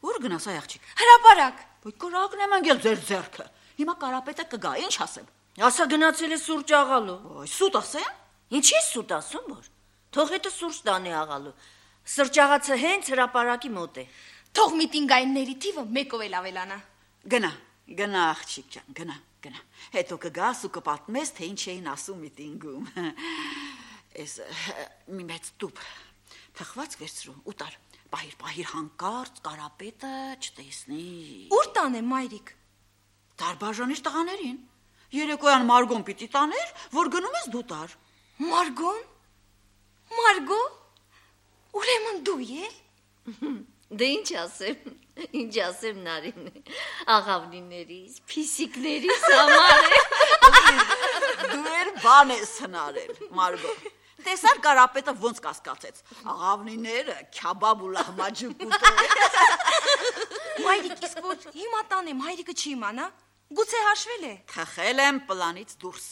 Ուր գնաս այ աղջիկ։ Հրապարակ։ Ոյ կրակն եմ անգել ձեր ձեռքը։ Հիմա կարապետը կգա, ինչ ասեմ։ Ասա գնացել է սուրճ աղալու։ Ոյ, սուտ ասեմ։ Ինչի՞ սուտ ասում որ։ Թող հետը սուրճ տանի աղալու։ Սրճաղացը հենց հրապարակի մոտ է։ Թող միտինգայինների թիվը մեկով էլ ավելանա։ Գնա, գնա աղջիկ ջան, գնա, գնա։ Հետո կգաս ու կպատմես, թե ինչ էին ասում միտինգում։ Էս մի մեծ տուփ թխված վերցրու, ուտար։ Պահիր, պահիր հանկարծ կարապետը չտեսնի։ Ուր տանեմ մայրիկ։ Դարբաժանիր տղաներին։ Երեկոյան Մարգոն պիտի տաներ, որ գնում ես դու տար։ Մարգոն։ Մարգո։ Ուրեմն դու ել։ Դե ինչ ասեմ, ինչ ասեմ Նարին, աղավնիներից, փիսիկներից համար է։ Դու էլ բան ես հնարել, Մարգո։ Տեսար կարապետը ոնց կասկածեց։ Աղավնիները քյաբաբ ու լահմաջուկ ուտել։ Մայրիկ, իսկ որ հիմա տանեմ, հայրիկը չի իմանա։ Գուցե հաշվել է։ Թխել եմ պլանից դուրս։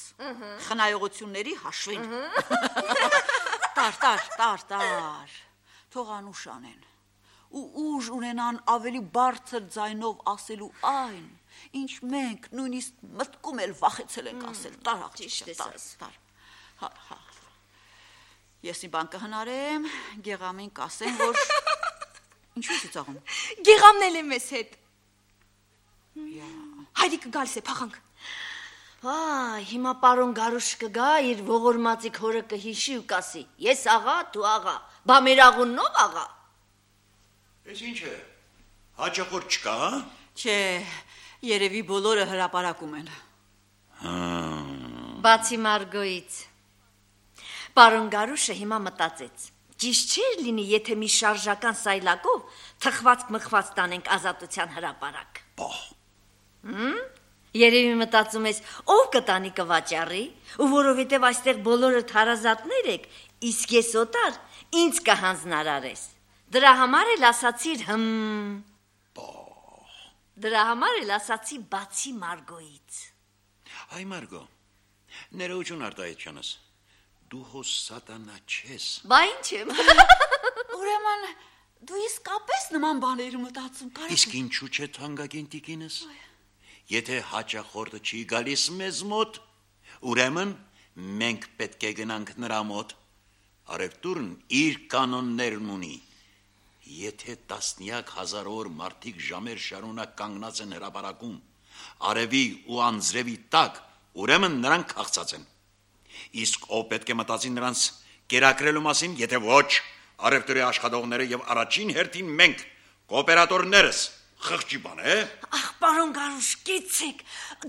Խնայողությունների հաշվին։ Տար, տար, տար, տար։ Թող անուշ անեն։ Ու ուժ ունենան ավելի բարձր ձայնով ասելու այն, ինչ մենք նույնիսկ մտքում էլ վախեցել ենք ասել։ Տար աղջիկ, տար, տար։ Հա, հա։ Ես մի բան կհնարեմ, Գեղամին կասեմ, որ ինչու ես ծաղում։ Գեղամն էլ է մեզ հետ։ Հայրիկը գալիս է, փախանք։ Այ, հիմա պարոն Գարուշ կգա, իր ողորմածիկ հորը կհիշի ու կասի. Ես աղա, դու աղա, բա մեր աղուննով աղա։ Էս ինչ է, հաճախորդ չկա, հա? Չէ, երևի բոլորը հրապարակում են։ Բացի Մարգոից։ Պարոն Գարուշը հիմա մտածեց. Ճիշտ չէր լինի, եթե մի շարժական սայլակով թխված-մխված տանենք ազատության հրապարակ։ Բա։ Հմ? Երևի մտածում ես, ով կտանի կվաճառի, ու որովհետև այստեղ բոլորը թարազատներ եք, իսկ ես օտար, ինձ կհանձնարարես։ Դրա համար էլ ասացիր հմ։ Դրա համար էլ ասացի բացի Մարգոից։ Այ Մարգո, ներողություն Արտահայտյանս, դու հո սատանա չես։ Բա ինչ եմ։ Ուրեմն դու իսկապես նման բաներ մտածում կարա։ Իսկ ինչու՞ չէ թանկագին տիկինս։ Եթե հաճախորդը չի գալիս մեզ մոտ, ուրեմն մենք պետք է գնանք նրա մոտ։ Արևտուրն իր կանոններն ունի։ Եթե տասնյակ հազարավոր մարդիկ ժամեր շարունակ կանգնած են հրապարակում, արևի ու անձրևի տակ, ուրեմն նրանք քաղցած են։ Իսկ ով պետք է մտածի նրանց կերակրելու մասին, եթե ոչ, արևտուրի աշխատողները եւ առաջին հերթին մենք, կոոպերատորներս, խղճի բան է։ Ախ, պարոն Գարուշ, կեցեք,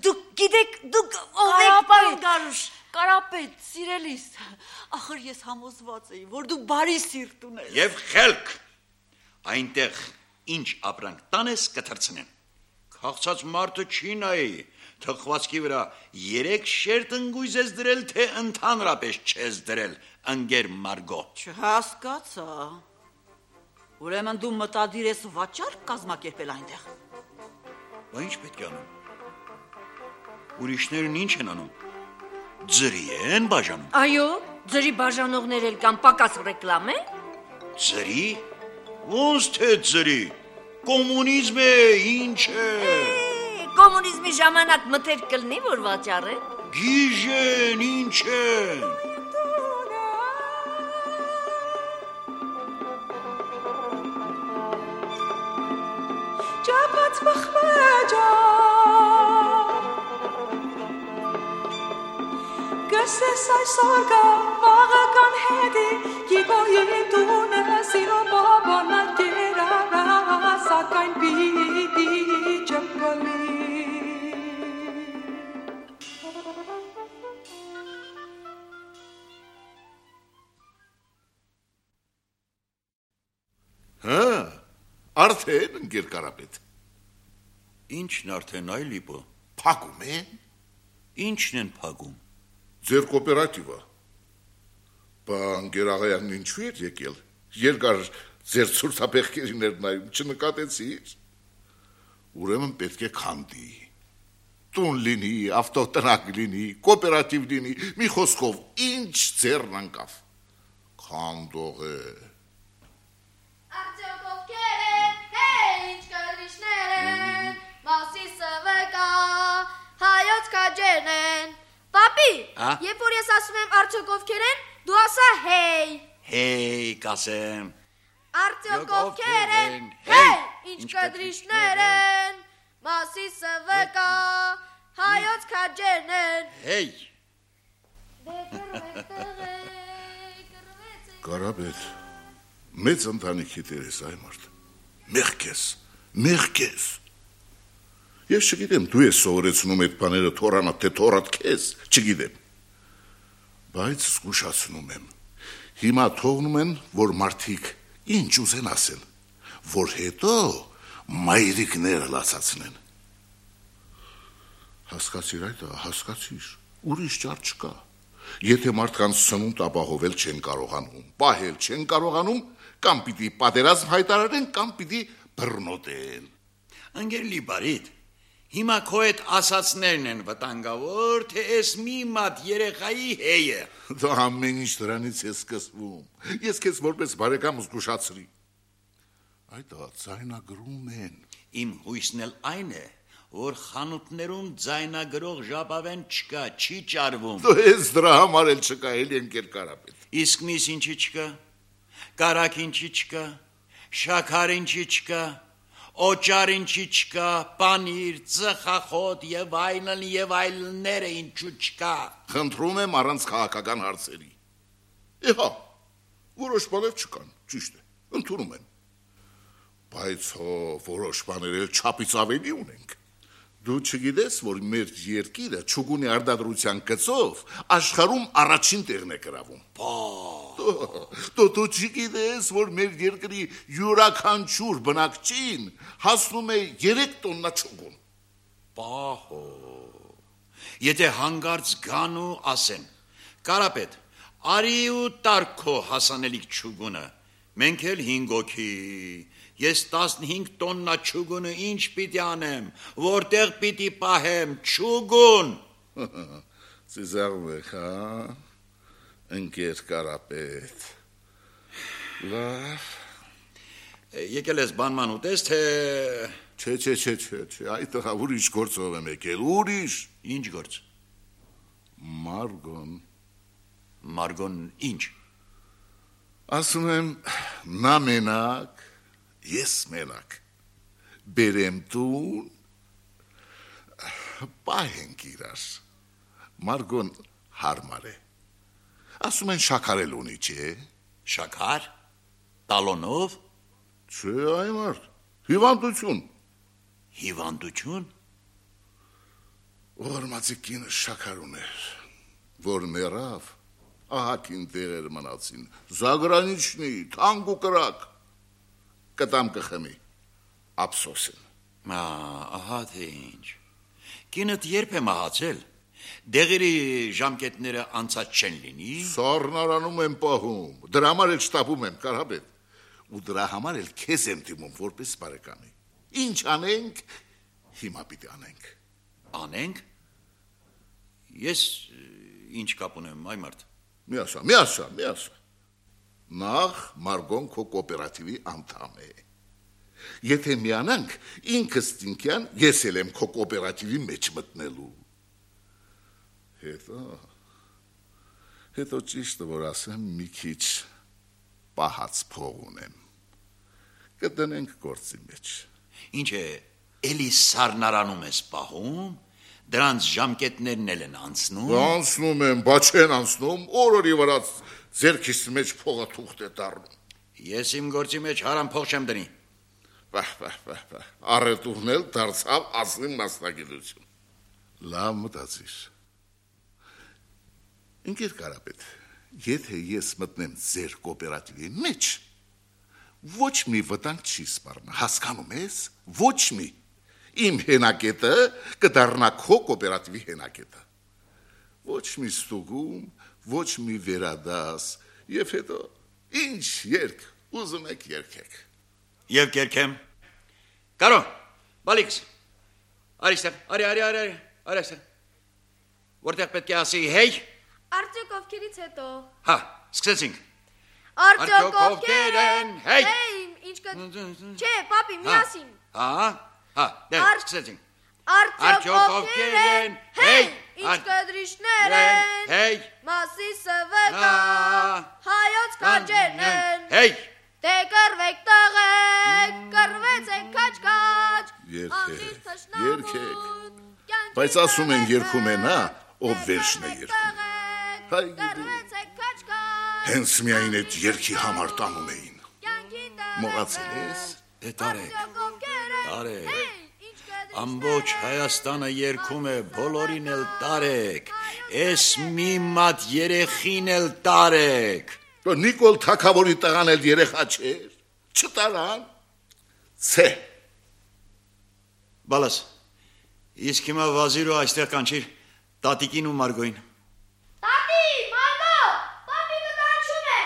դուք գիտեք, դուք ով եք, պարոն Գարուշ։ Կարապետ, սիրելիս, ախր ես համոզված էի, որ դու բարի սիրտ ունես։ Եվ խելք, այնտեղ ինչ ապրանք տանես կթրցնեն։ Քաղցած մարդը չի նայի, թխվածքի վրա երեք շերտ ընկույզ ես դրել, թե ընդհանրապես չես դրել, ընկեր Մարգո։ Չհասկացա։ Ուրեմն դու մտադիր ես վաճառք կազմակերպել այնտեղ։ Բա ինչ պետք է անում։ Ուրիշներն ինչ են անում։ Ձրի են բաժանում։ Այո, ձրի բաժանողներ էլ կան, պակաս ռեկլամ է։ Ձրի։ Ոնց թե ձրի։ Կոմունիզմ է, ինչ է։ Կոմունիզմի ժամանակ մտեր կլնի, որ վաճառեն։ Գիժեն, ինչ են։ Ճապած բխվեջա Գսես այսօր գա վաղը կան հետի Գիգոյին տունը սիրո բաբանա կերարա Սակայն պիտի չպլի Հա, արդեն ընկեր Կարապետ։ Ինչն արդեն այ լիպը։ Փակում են։ Ինչն են փակում։ Ձեր կոոպերատիվը։ Բա ընկեր աղայանն ինչու էր եկել։ Երկար ձեր ցուրտապեղքերին էր նայում, չնկատեցիր։ Ուրեմն պետք է քանդի։ Տուն լինի, ավտոտրակ լինի, կոոպերատիվ լինի, մի խոսքով ինչ ձեռն անկավ։ Քանդող է։ Արդյոք ովքեր են, հեյ, ինչ կրվիշներ են, Մասիսը վկա, հայոց քաջերն են։ Պապի, երբ որ ես ասում եմ արդյոք ովքեր են, դու ասա հեյ։ Հեյ, կասեմ։ Արդյոք ովքեր են, հեյ, ինչ կրվիշներ են, Մասիսը վկա, հայոց քաջերն են։ Հեյ։ Կարապետ, մեծ ընտանիքի տեր ես այ մարդ, մեղք ես, մեղք ես։ Ես չգիտեմ, դու ես սովորեցնում այդ բաները թորանատ, թե թորատ քեզ, չգիտեմ, բայց զգուշացնում եմ, հիմա թողնում են, որ մարդիկ ինչ ուզեն ասեն, որ հետո մայրիկները լացացնեն։ Հասկացիր այդ, հասկացիր, ուրիշ ճար չկա։ Եթե մարդկանց սնունդ ապահովել չեն կարողանում, պահել չեն կարողանում, կամ պիտի պատերազմ հայտարարեն, կամ պիտի բռնոտեն։ Ընկերլի բարիդ, հիմա քո այդ ասացներն են վտանգավոր, թե էս մի մատ երեխայի հեյը։ Դա ամեն ինչ դրանից է սկսվում։ Ես քեզ որպես բարեկամ զգուշացրի։ Այդ ձայնագրում են։ Իմ հույսն էլ այն է, որ խանութներում ձայնագրող ժապավեն չկա, չի ճարվում։ Դու ես դրա համար էլ չկա, էլի ընկեր Կարապետ։ Իսկ միս ինչի չկա, կարակ ինչի չկա, շաքար ինչի չկա, օճար ինչի չկա, պանիր, ծխախոտ եւ այլն եւ այլները ինչու չկա։ Խնդրում եմ առանց քաղաքական հարցերի։ Իհա, որոշ բաներ չկան, ճիշտ է, ընդունում եմ։ Բայց հո որոշ բաներ էլ չափից ավելի ունենք։ Դու չգիտես, որ մեր երկիրը ճուգունի արտադրության գծով աշխարհում առաջին տեղն է գրավում։ Դու դու չգիտես, որ մեր երկրի յուրաքանչյուր բնակչին հասնում է երեք տոննա ճուգուն։ Պահո։ Եթե հանգարց գան ու ասեն, Կարապետ, արի ու տարկո հասանելիք ճուգունը, մենք էլ հինգ օքի Ես տասնհինգ տոննա ճուգունը ինչ պիտի անեմ, որտեղ պիտի պահեմ ճուգուն։ Ծիզաղում եք, հա, ընկեր Կարապետ։ Լավ։ Եկել ես բանման ուտես, թե… Չէ, չէ, չէ, չէ, չէ, այդ տղա ուրիշ գործով եմ եկել, ուրիշ։ Ինչ գործ։ Մարգոն։ Մարգոն ինչ։ Ասում եմ, նա մենակ, ես մենակ, բերեմ տուն, պահենք իրար, Մարգոն հարմար է, ասում են շաքարել ունի, չէ։ Շաքար, տալոնով։ Չէ, այ մարդ, հիվանդություն։ Հիվանդություն։ Օրմացի կինը շաքար ուներ, որ մեռավ, ահակին տեղեր մնացին, զագրանիչնի, թանկ ու կրակ, կտամ կխմի, ափսոս են։ Ահա թե ինչ, կինըտ երբ է մահացել, դեղերի ժամկետները անցած չեն լինի։ Սառնարանում եմ պահում, դրա համար էլ շտապում եմ, Կարապետ, ու դրա համար էլ քեզ եմ դիմում որպես բարեկամի։ Ինչ անենք, հիմա պիտի անենք։ Անենք։ Ես ինչ կապ ունեմ, այ մարդ։ Մի ասա, մի ասա, մի ասա։ Նախ Մարգոն քո կոոպերատիվի անդամ է։ Եթե միանանք, ինքս Տինկյան, ես էլ եմ քո կոոպերատիվի մեջ մտնելու։ Հետո, հետո ճիշտը որ ասեմ, մի քիչ պահած փող ունեմ։ Կդնենք գործի մեջ։ Ինչ է, էլի սառնարանում ես պահում, դրանց ժամկետներն էլ են անցնում։ Անցնում են, բա չեն անցնում, օրորի վրա ձերքիս մեջ փողը թուղթ է դառնում։ Ես իմ գործի մեջ հարամ փող չեմ դնի։ Վահ, վահ, վահ, վահ, առետուղն էլ դարձավ ազնիվ մասնագիտություն։ Լավ մտածիր։ Ընկեր Կարապետ, եթե ես մտնեմ ձեր կոոպերատիվի մեջ, ոչ մի վտանգ չի սպառնա, հասկանում ես, ոչ մի։ Իմ հենակետը կդառնա քո կոոպերատիվի հենակետը։ Ոչ մի ստուգում, ոչ մի վերադաս, եւ հետո ինչ երկ, ուզում եք երգեք։ Եվ կերքեմ։ Կարո, բալիքս։ Արիստեղ, արի, արի, արի, արի, արիստեղ։ Որտեղ պետք է ասի հեյ։ Արդյոք ովքերից հետո։ Հա, սկսեցինք։ Արդյոք ովքեր են։ Հեյ։ Հեյ, ինչ կա։ Չէ, պապի, միասին։ Հա, հա, դե սկսեցինք։ Արդյոք ովքեր են։ Հեյ, ինչ կդրիշներ են։ Հեյ։ Մասիսը վկա։ Հայոց քաջերն են։ Հեյ։ Դե կռվեք տղեկ, կռվեցեք քաջ-քաջ։ Երգեք, երգեք։ Բայց ասում են երգում են, հա, ով վերջն է երգում։ Հայ գիտի։ Հենց միայն այդ երգի համար տանում էին։ Մոռացել ես։ Դե տարեք, տարեք։ Ամբողջ Հայաստանը երգում է, բոլորին էլ տարեք։ Էս մի մատ երեխին էլ տարեք։ Նիկոլ Թագավորի տղան էլ երեխա չէր, չտարան, ցե։ Բալաս, իսկ հիմա վազիրը այստեղ կանչիր տատիկին ու Մարգոին։ Տատի, Մարգո, պապի կկանչում է։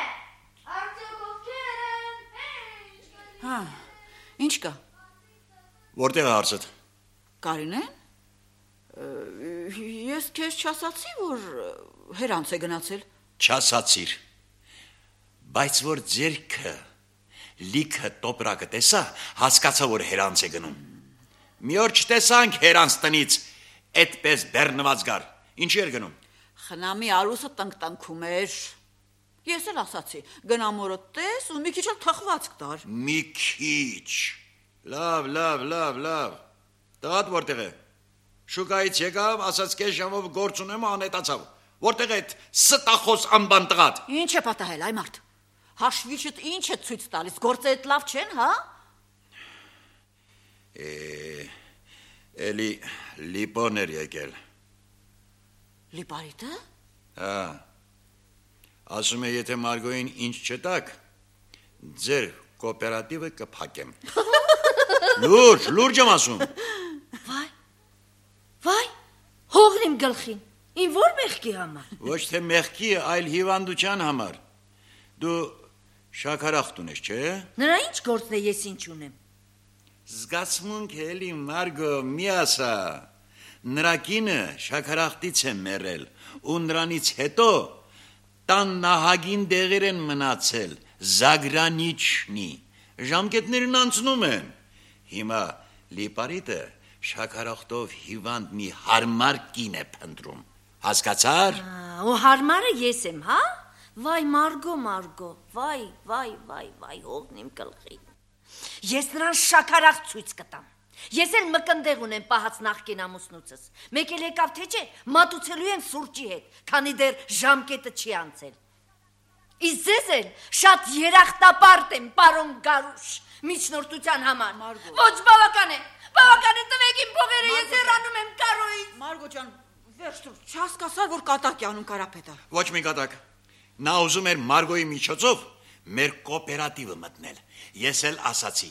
Արդյոք ովքեր են։ Հա, ինչ կա։ Որտեղ է հարցդ։ Կարինեն։ Ես քեզ չասացի, որ հերանց է գնացել։ Չասացիր։ Բայց որ ձերքը լիքը տոպրակը տեսա, հասկացա, որ հերանց է գնում։ Մի օր չտեսանք հերանց տնից, այդպես բեռնված գար։ Ինչի էր գնում։ Խնամի արուսը տնկտնքում էր։ Ես էլ ասացի, գնամորը տես ու մի քիչ էլ թխվածք տար։ Մի քիչ։ Լավ, լավ, լավ, լավ։ Տղատ որտեղ է։ Շուկայից եկավ, ասաց կես ժամով գործ ունեմ ու անհետացավ։ Որտեղ է այդ ստախոս անբան տղատ։ Ինչ է պատահել, այ մարդ։ Հաշվիչդ ինչ է ցույց տալիս, գործերը լավ չեն, հա։ Է, էլի լիպոն էր եկել։ Լիպարիտը։ Հա։ Ասում է, եթե Մարգոին ինչ չտակ, ձեր կոոպերատիվը կփակեմ։ Լուրջ, լուրջ եմ ասում։ Վայ, վայ, հողն իմ գլխին, իմ որ մեղքի համար։ Ոչ թե մեղքի, այլ հիվանդության համար։ Դու շաքարախտ ունես, չէ՞։ Նրա ինչ գործն է, ես ինչ ունեմ։ Զգացմունք էլի Մարգո, մի ասա։ Նրա կինը շաքարախտից է մեռել, ու նրանից հետո տան նահագին դեղեր են մնացել, զագրանիչնի, ժամկետներն անցնում են։ Հիմա լիպարիտը շաքարախտով հիվանդ մի հարմար կին է փնտրում, հասկացար։ Ու հարմարը ես եմ, հա։ Վայ, Մարգո, Մարգո, վայ, վայ, վայ, վայ, հողն իմ գլխին։ Ես նրան շաքարախտ ցույց կտամ։ Ես էլ մկնդեղ ունեմ պահած նախկին ամուսնուցս։ Մեկ էլ եկավ թե չէ, մատուցելու եմ սուրճի հետ, քանի դեռ ժամկետը չի անցել։ Իսկ ձեզ էլ շատ երախտապարտ եմ, պարոն Գարուշ, միջնորդության համար։ Ոչ բավական է, բավական է, տվեք իմ փողերը, ես հեռանում եմ Կարոյից։ Մարգո ջան, վերջ տուր, չհասկացար, որ կատակ է անում Կարապետը։ Ոչ մի կատակ։ Նա ուզում էր Մարգոյի միջոցով մեր կոոպերատիվը մտնել։ Ես էլ ասացի,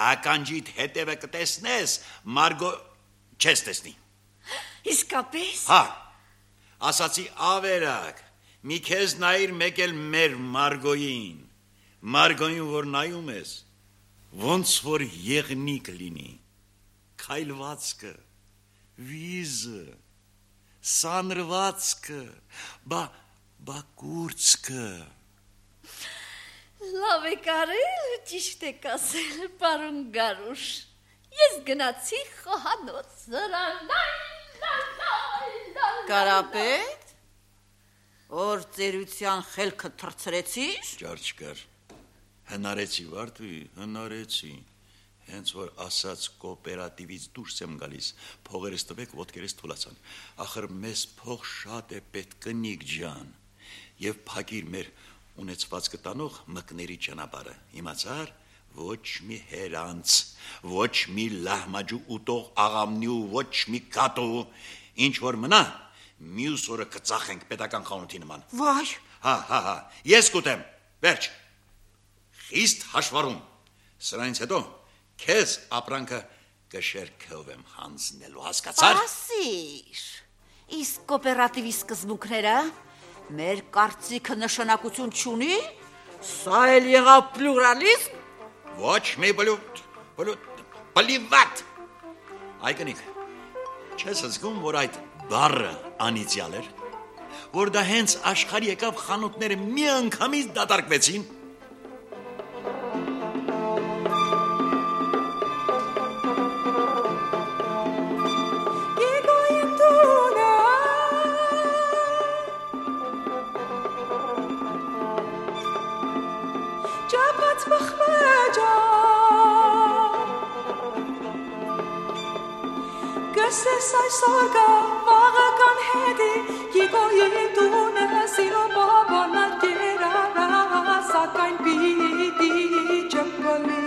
ականջիդ հետևը կտեսնես, Մարգո չես տեսնի։ Իսկապես։ Հա, ասացի ավերակ, մի քեզ նայիր մեկ էլ մեր Մարգոյին, Մարգոյին, որ նայում ես, ոնց որ եղնիկ լինի, քայլվածքը, վիզը, սանրվածքը, բա բա կուրծքը։ Լավ է կարել, ճիշտ եք ասել, պարոն Գարուշ։ Ես գնացի խոհանոց։ Կարապետ, որ ծերության խելքը թրծրեցիր։ Ճար չկար, հնարեցի վարդուի, հնարեցի, հենց որ ասաց կոոպերատիվից դուրս եմ գալիս, փողերս տվեք, ոտքերս թուլացան, ախր մեզ փող շատ է պետք կնիկ ջան, և փակիր մեր ունեցված կտանող մկների ճանապարհը, իմացար, ոչ մի հերանց, ոչ մի լահմաջու ուտող աղամնի ու ոչ մի կատու, ինչ որ մնա, մյուս օրը կծախենք պետական խանութի նման։ Վայ։ Հա, հա, հա, ես կուտեմ, վերջ, խիստ հաշվառում, սրանից հետո քեզ ապրանքը կշերքով եմ հանձնելու, հասկացար։ Ասիր, իսկ կոոպերատիվի սկզբունքները մեր կարծիքը նշանակություն չունի, Սա էլ եղավ պլուրալիզմ։ Ոչ մի բլուտ, բլուտ, բլիվատ։ Այգնիկ, չես զգում, որ այդ բառը անիծյալ էր, որ դա հենց աշխարհի եկավ խանութները մի անգամից դատարկվեցին։ Գսես այսօր գա վաղը կան հետի Գիգոյի տունը սիրո բաբանա կերարա Սակայն պիտի ճպլի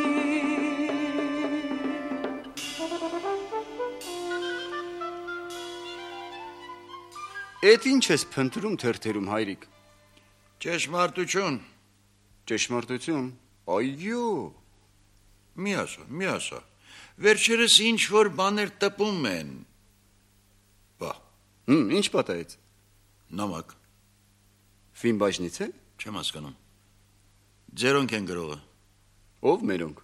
Էդ ինչ ես փնտրում թերթերում հայրիկ։ Ճշմարտություն։ Ճշմարտություն։ Այո։ Մի ասա, մի ասա։ Վերջերս ինչ որ բաներ տպում են։ Բա։ Հմ, ինչ պատահեց։ Նամակ։ Ֆիլմ բաժնից է։ Չեմ հասկանում։ Ձերոնք են գրողը։ Ով մերոնք։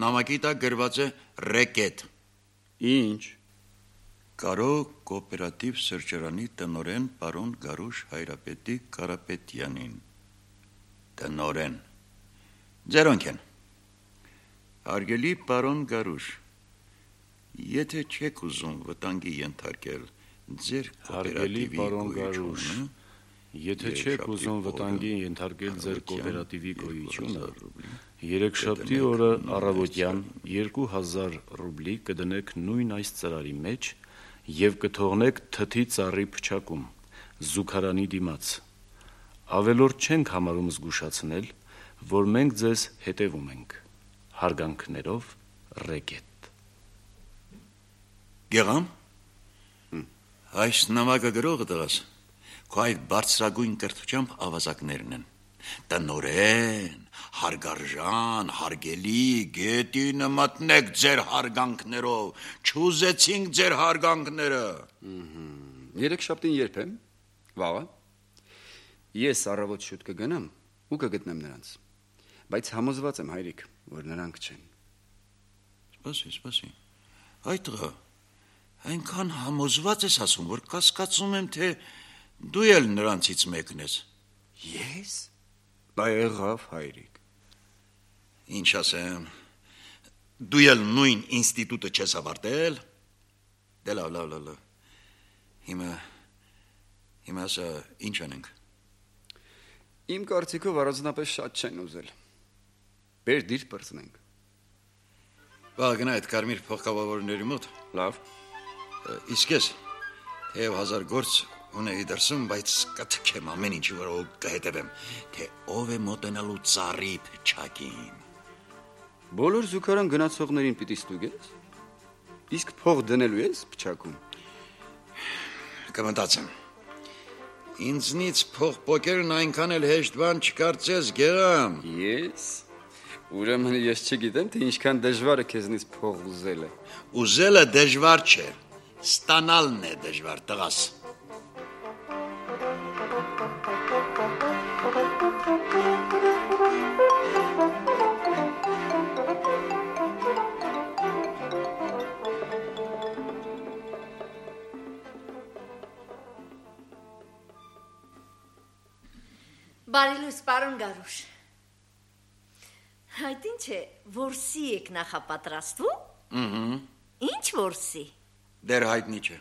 Նամակի տակ գրված է ռեկետ։ Ինչ։ Կարո կոոպերատիվ սրճարանի տնօրեն պարոն Գարուշ Հայրապետի Կարապետյանին։ Տնօրեն։ Ձերոնք են։ Հարգելի պարոն Գարուշ, եթե չեք ուզում վտանգի ենթարկել ձեր Հարգելի պարոն Գարուշ, եթե չեք ուզում վտանգի ենթարկել ձեր կոոպերատիվի գոյությունը, երեքշաբթի օրը առավոտյան երկու հազար ռուբլի կդնեք նույն այս ծրարի մեջ եւ կթողնեք թթի ծառի փչակում զուգարանի դիմաց։ Ավելորդ չենք համարում զգուշացնել, որ մենք ձեզ հետևում ենք։ Հարգանքներով ռեկետ։ Գերամ։ Այս նամակը գրողը դրած, քո այդ բարձրագույն կրթությամբ ավազակներն են։ Տնօրեն, հարգարժան, հարգելի, գետինը մտնեք ձեր հարգանքներով, չուզեցինք ձեր հարգանքները։ Երեքշաբթին երբ եմ։ Վաղը։ Ես առավոտ շուտ կգնամ ու կգտնեմ նրանց։ Բայց համոզված եմ հայրիկ, որ նրանք չեն։ Սպասի, սպասի։ Այդ տղա, այնքան համոզված ես ասում, որ կասկածում եմ, թե դու էլ նրանցից մեկն ես։ Ես։ Դա եղավ հայրիկ։ Ինչ ասեմ, դու էլ նույն ինստիտուտը չես ավարտել։ Դե լավ, լավ, լավ, լավ։ Հիմա, հիմա ասա, ինչ անենք։ Իմ կարծիքով առանձնապես շատ չեն ուզել։ Բեր դիր պրծնենք։ Բա գնա այդ կարմիր փոխկապավորների մոտ։ Լավ։ Իսկ ես, թեև հազար գործ ունեի դրսում, բայց կթքեմ ամեն ինչ, որ կհետևեմ, թե ով է մոտենալու ծառի փչակին։ Բոլոր զուգարան գնացողներին պիտի ստուգես։ Իսկ փող դնելու ես փչակում։ Կմտածեմ։ Ինձնից փող պոկերն այնքան էլ հեշտ բան չկարծես, Գերամ։ Ես։ Ուրեմն ես չգիտեմ, թե ինչքան դժվար է քեզնից փող ուզելը։ Ուզելը դժվար չէ, ստանալն է դժվար, տղաս։ Բարի լույս, պարոն Գարուշ։ Այդ ինչ է, որսի եք նախապատրաստվում։ Ըհը։ Ինչ որսի։ Դեր հայտնի չէ։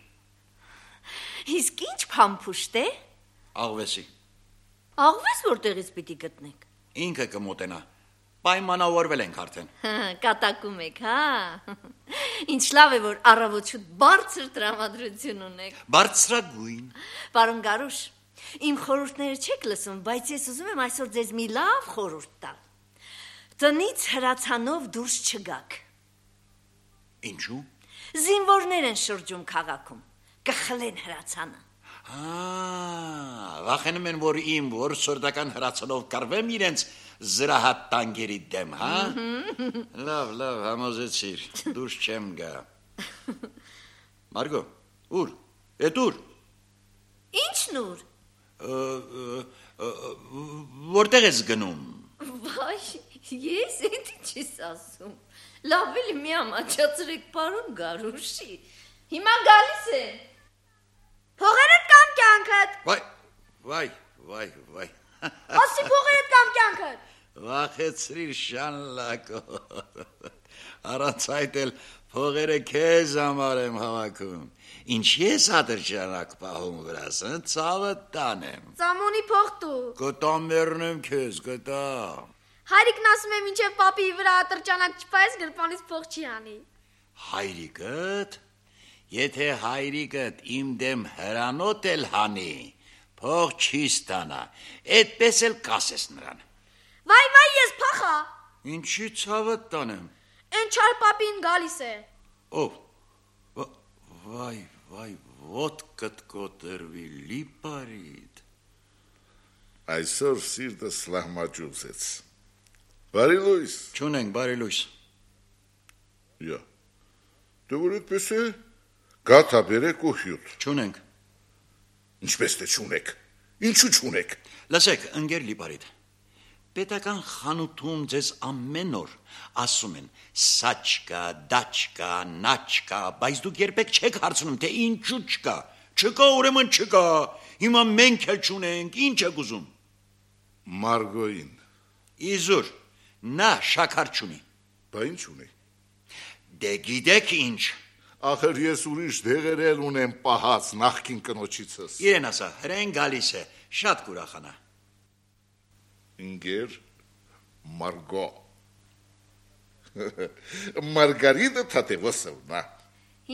Իսկ ինչ փամփուշտ է։ Աղվեսի։ Աղվես որտեղից պիտի գտնեք։ Ինքը կմոտենա։ Պայմանավորվել ենք արդեն։ Կատակում եք, հա։ Ինչ լավ է, որ առավոտ շուտ բարձր տրամադրություն ունեք։ Բարձրագույն։ Պարոն Գարուշ, իմ խորհուրդները չեք լսում, բայց ես ուզում եմ այսօր ձեզ մի լավ խորհուրդ տալ։ Տնից հրացանով դուրս չգաք։ Ինչու։ Զինվորներ են շրջում քաղաքում, կխլեն հրացանը։ Ահա, վախենում են, որ իմ որսորդական հրացանով կռվեմ իրենց զրահատ տանկերի դեմ, հա։ Լավ, լավ, համոզեցիր, դուրս չեմ գա։ Մարգո, ուր, էդ ուր։ Ինչն ուր։ Որտեղ ես գնում։ Վայ, ես էդ ինչի՞ս ասում։ Լավ էլի մի ամաչացրեք պարոն Գարուշի։ Հիմա գալիս է։ Փողերդ կամ կյանքդ։ Վայ, վայ, վայ, վայ։ Ասի փողերդ կամ կյանքդ։ Վախեցրիր շանլակո։ Առանց այդ էլ փողերը քեզ համար եմ հավաքում։ Ինչ ես ատրճանակ պահում վրաս, ցավը տանեմ։ Ծամոնի փող տու։ Կտամ մեռնեմ քեզ, կտա։ Հայրիկն ասում է մինչև պապի վրա ատրճանակ չպայես գրպանից փող չի անի։ Հայրիկդ, եթե հայրիկդ իմ դեմ հրանոտ էլ հանի, փող չի ստանա, այդպես էլ կասես նրան։ Վայ, վայ, ես փախա։ Ինչի ցավը տանեմ։ Էն չար պապին գալիս է։ Ով։ Վայ, վայ, ոտքդ կոտրվի լիպարիդ։ Այսօր սիրտս լահմաճուծեց։ Բարի լույս։ Չունենք, բարի լույս։ Յա։ Դու որ այդպես է, գաթա բերեք ու հյուտ։ Չունենք։ Ինչպես թե չունեք։ Ինչու չունեք։ Լսեք, ընկեր լիպարիդ։ Պետական խանութում ձեզ ամեն օր ասում են սաչկա, դաչկա, նաչկա, բայց դուք երբեք չեք հարցնում, թե ինչու չկա։ Չկա, ուրեմն չկա։ Հիմա մենք էլ չունենք, ինչ եք ուզում։ Մարգոին։ Իզուր, նա շաքար չունի։ Բա ինչ ունի։ Դե գիտեք ինչ։ Ախր ես ուրիշ դեղեր էլ ունեմ պահած նախքին կնոջիցս։ Իրեն ասա, հրեն գալիս է, շատ կուրախանա։ Ինգեր Մարգո Մարգարիդա Թատևոսովնա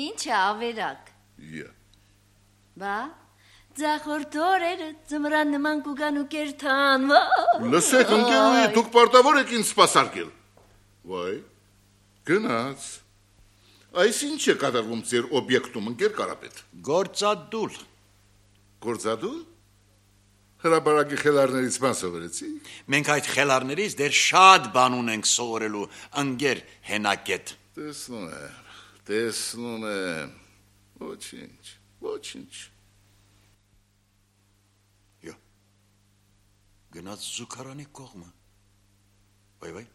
Ինչ է ավերակ։ Յա Բա ձախորդ օրերը ծմրան նման կուգան ու կերթան։ Լսեք ընկերուի, դուք պարտավոր եք ինձ սպասարկել։ Վայ, գնաց։ Այս ինչ է կատարվում ձեր օբյեկտում, ընկեր Կարապետ։ Գործադուլ։ Գործադուլ։ Հրաբարակի խելարներից բան սովորեցի։ Մենք այդ խելարներից դեռ շատ բան ունենք սովորելու, ընկեր հենակետ։ Տեսնում եմ, տեսնում եմ։ Ոչինչ, ոչինչ։ Յո։ Գնաց զուգարանի կողմը։ Վայ վայ։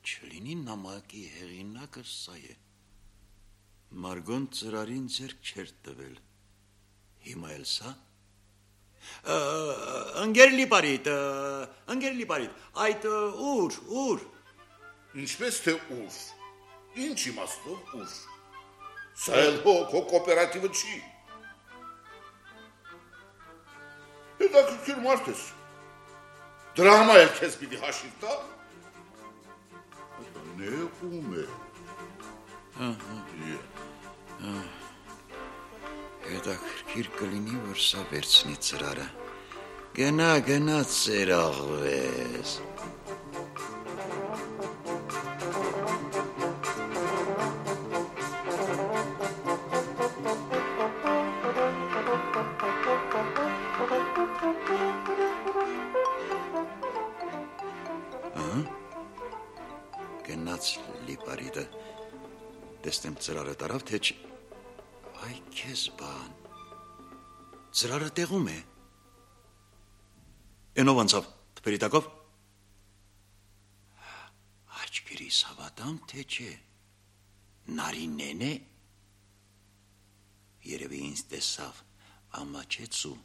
Չլինի նամակի հեղինակը սա է։ Մարգոն ծրարին ձեռք չէր տվել։ Հիմա էլ սա։ Ընկեր լիպարիտ, ընկեր լիպարիտ, այդ ուր, ուր։ Ինչպես թե ուր։ Ինչ իմաստով ուր։ Սա էլ հո քո կոոպերատիվը չի։ Հետաքրքիր մարդ ես։ Դրա համար էլ քեզ պիտի հաշիվ տա։ Նեղում է։ Հետաքրքիր կլինի, որ սա վերցնի ծրարը։ Գնա, գնա ծերաղվես։ Գնաց լիպարիդը, տեսնեմ ծրարը տարավ, թե չ... Այ քեզ բան, ծրարը տեղում է, ենով անցավ, թպերիտակով, աչքերիս հավատամ, թե չէ, նարինեն է, երևի ինձ տեսավ, ամաչեց ու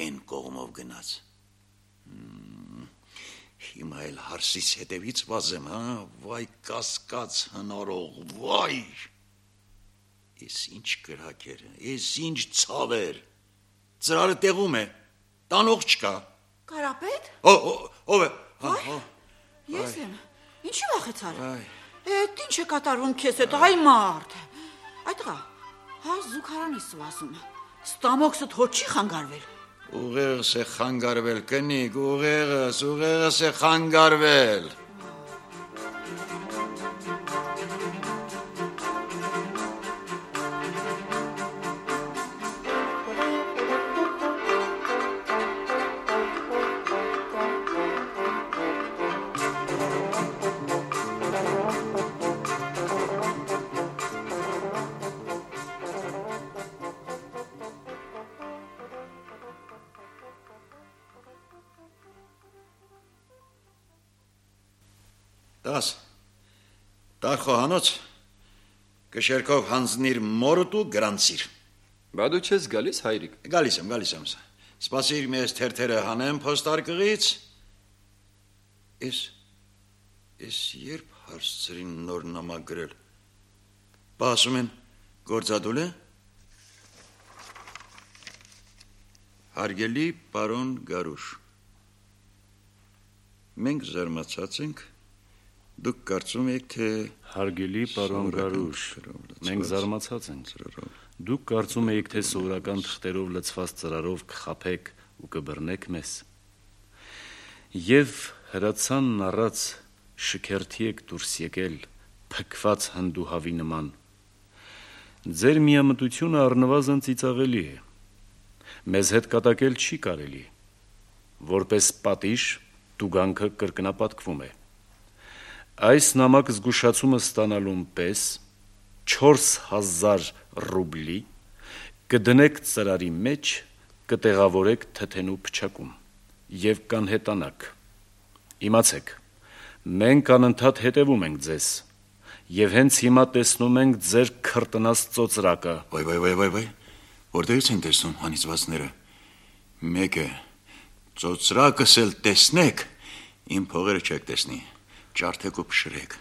են կողմով գնաց, հիմա էլ հարսիս հետևից վազեմ, հա, վայ կասկած հնարող, վայ, ես ինչ կրակ էր, ես ինչ ցավեր, ծրարը տեղում է, տանող չկա։ Կարապետ։ Ով է։ Ես եմ, ինչի վախեցար։ Էդ ինչ է կատարվում քեզ հետ, այ մարդ։ Այդ տղա, հա զուգարանից վազում, ստամոքսդ հո չի խանգարվել։ Ուղեղս է խանգարվել, կնիկ, ուղեղս, ուղեղս է խանգարվել։ Տաս, տար խոհանոց, կշերքով հանձնիր մորդ ու գրանցիր։ Բա դու չես գալիս, հայրիկ։ Գալիս եմ, գալիս եմ։ Սպասիր մեզ թերթերը հանեմ փոստարկղից։ Ես, ես երբ հարցրին նոր նամակ գրել։ Բա ասում են, գործադուլ է։ Հարգելի պարոն Գարուշ, մենք զարմացած ենք, դուք կարծում եք, թե Հարգելի պարոն Գարուշ, մենք զարմացած ենք, դուք կարծում եք, թե սովորական թղթերով լցված ծրարով կխաբեք ու կբռնեք մեզ, և հրացանն առած շքերթի եք դուրս եկել, փքված հնդուհավի նման, ձեր միամտությունը առնվազն ծիծաղելի է, մեզ հետ կատակել չի կարելի, որպես պատիժ տուգանքը կրկնապատկվում է, այս նամակ զգուշացումը ստանալուն պես չորս հազար ռուբլի կդնեք ծրարի մեջ, կտեղավորեք թթենու փչակում և կանհետանաք, իմացեք, մենք անընդհատ հետևում ենք ձեզ և հենց հիմա տեսնում ենք ձեր քրտնած ծոծրակը։ Վայ, վայ, վայ, վայ, վայ, որտեղից են տեսնում անիծվածները, մեկը ծոծրակս էլ տեսնեք, իմ փողերը չեք տեսնի, ջարդեք ու փշրեք,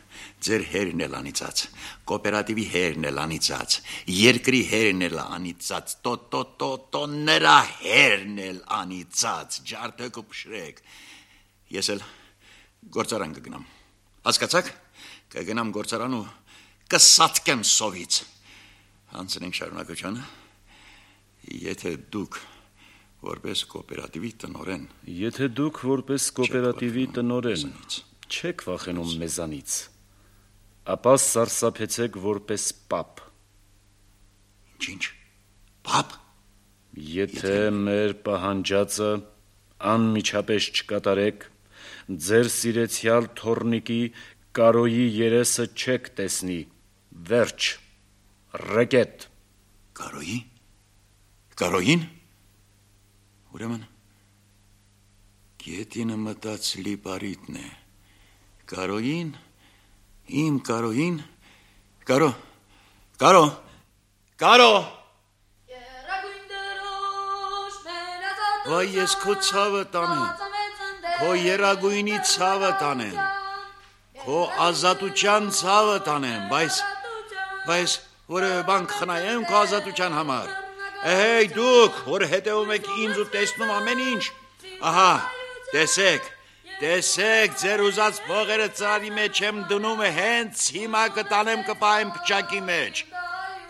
ձեր հերն էլ անիծած, կոոպերատիվի հերն էլ անիծած, երկրի հերն էլ անիծած, տո, տո, տո, տո, նրա հերն էլ անիծած, ջարդեք ու փշրեք, ես էլ գործարան կգնամ, հասկացաք, կգնամ գործարան ու կսատկեմ սովից, հանցնենք շարունակությանը, եթե դուք որպես կոոպերատիվի տնօրեն, եթե դուք որպես կոոպերատիվի տնօրեն չեք վախենում մեզանից, ապա սարսափեցեք որպես պապ։ Ինչ, պապ։ Եթե մեր պահանջածը անմիջապես չկատարեք, ձեր սիրեցյալ թոռնիկի Կարոյի երեսը չեք տեսնի, վերջ, ռեկետ։ Կարոյի։ Կարոյին։ Ուրեմն գետինը մտած լիպարիտն է, Կարոյին, իմ Կարոյին, Կարո, Կարո, Կարո, վայ ես քո ցավը տանեմ, քո երագույնի ցավը տանեմ, քո ազատության ցավը տանեմ, բայց, բայց որևէ բան կխնայեմ քո ազատության համար, Էհեյ դուք, որ հետևում եք ինձ ու տեսնում ամեն ինչ, ահա, տեսեք, տեսեք, ձեր ուզած փողերը ծրարի մեջ եմ դնում է, հենց հիմա կտանեմ կպահեմ փչակի մեջ,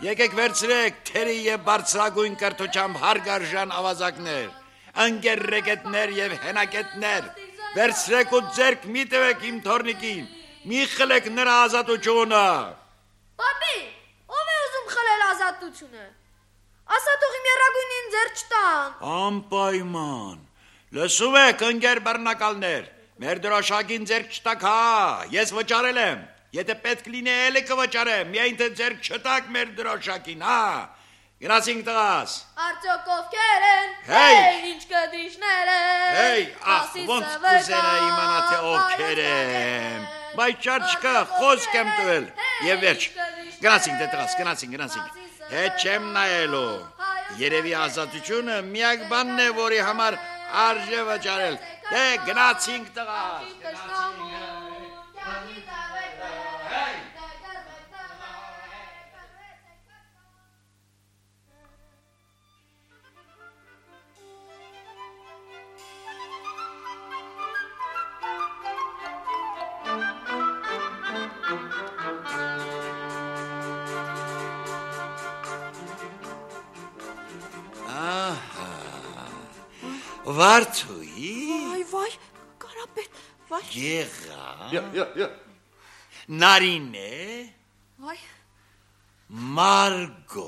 եկեք վերցրեք թերի և բարձրագույն կրթությամբ հարգարժան ավազակներ, ընկեր ռեկետներ և հենակետներ, վերցրեք ու ձերք մի տվեք իմ թոռնիկին, մի խլեք նրա ազատությունը։ Պապի, ով է ուզում խլել ազատությունը։ Ասա թող իմ երագույնին ձեր չտան։ Անպայման, լսում եք ընկեր բռնակալներ, մեր դրոշակին ձեր չտակ, հա, ես վճարել եմ, եթե պետք լինի էլի կվճարեմ, միայն թե ձեր չտակ մեր դրոշակին, հա, գնացինք տղաս։ Արդյոք ովքեր են, հեյ, ինչ կդիշներ են, հեյ, ախ, ոնց կուզենա իմանա թե ովքեր եմ, բայց չար չկա, խոսք եմ տվել, և վերջ, գնացինք թե տղաս, գնացինք, գնացինք, հետ չեմ նայելու, երևի ազատությունը միակ բանն է, որի համար արժե վճարել, դե գնացինք տղաս, գնացինք, Վարդուի։ Վայ, վայ, Կարապետ, վայ։ Եղա։ Յա, յա, յա։ Նարինե։ Վայ։ Մարգո։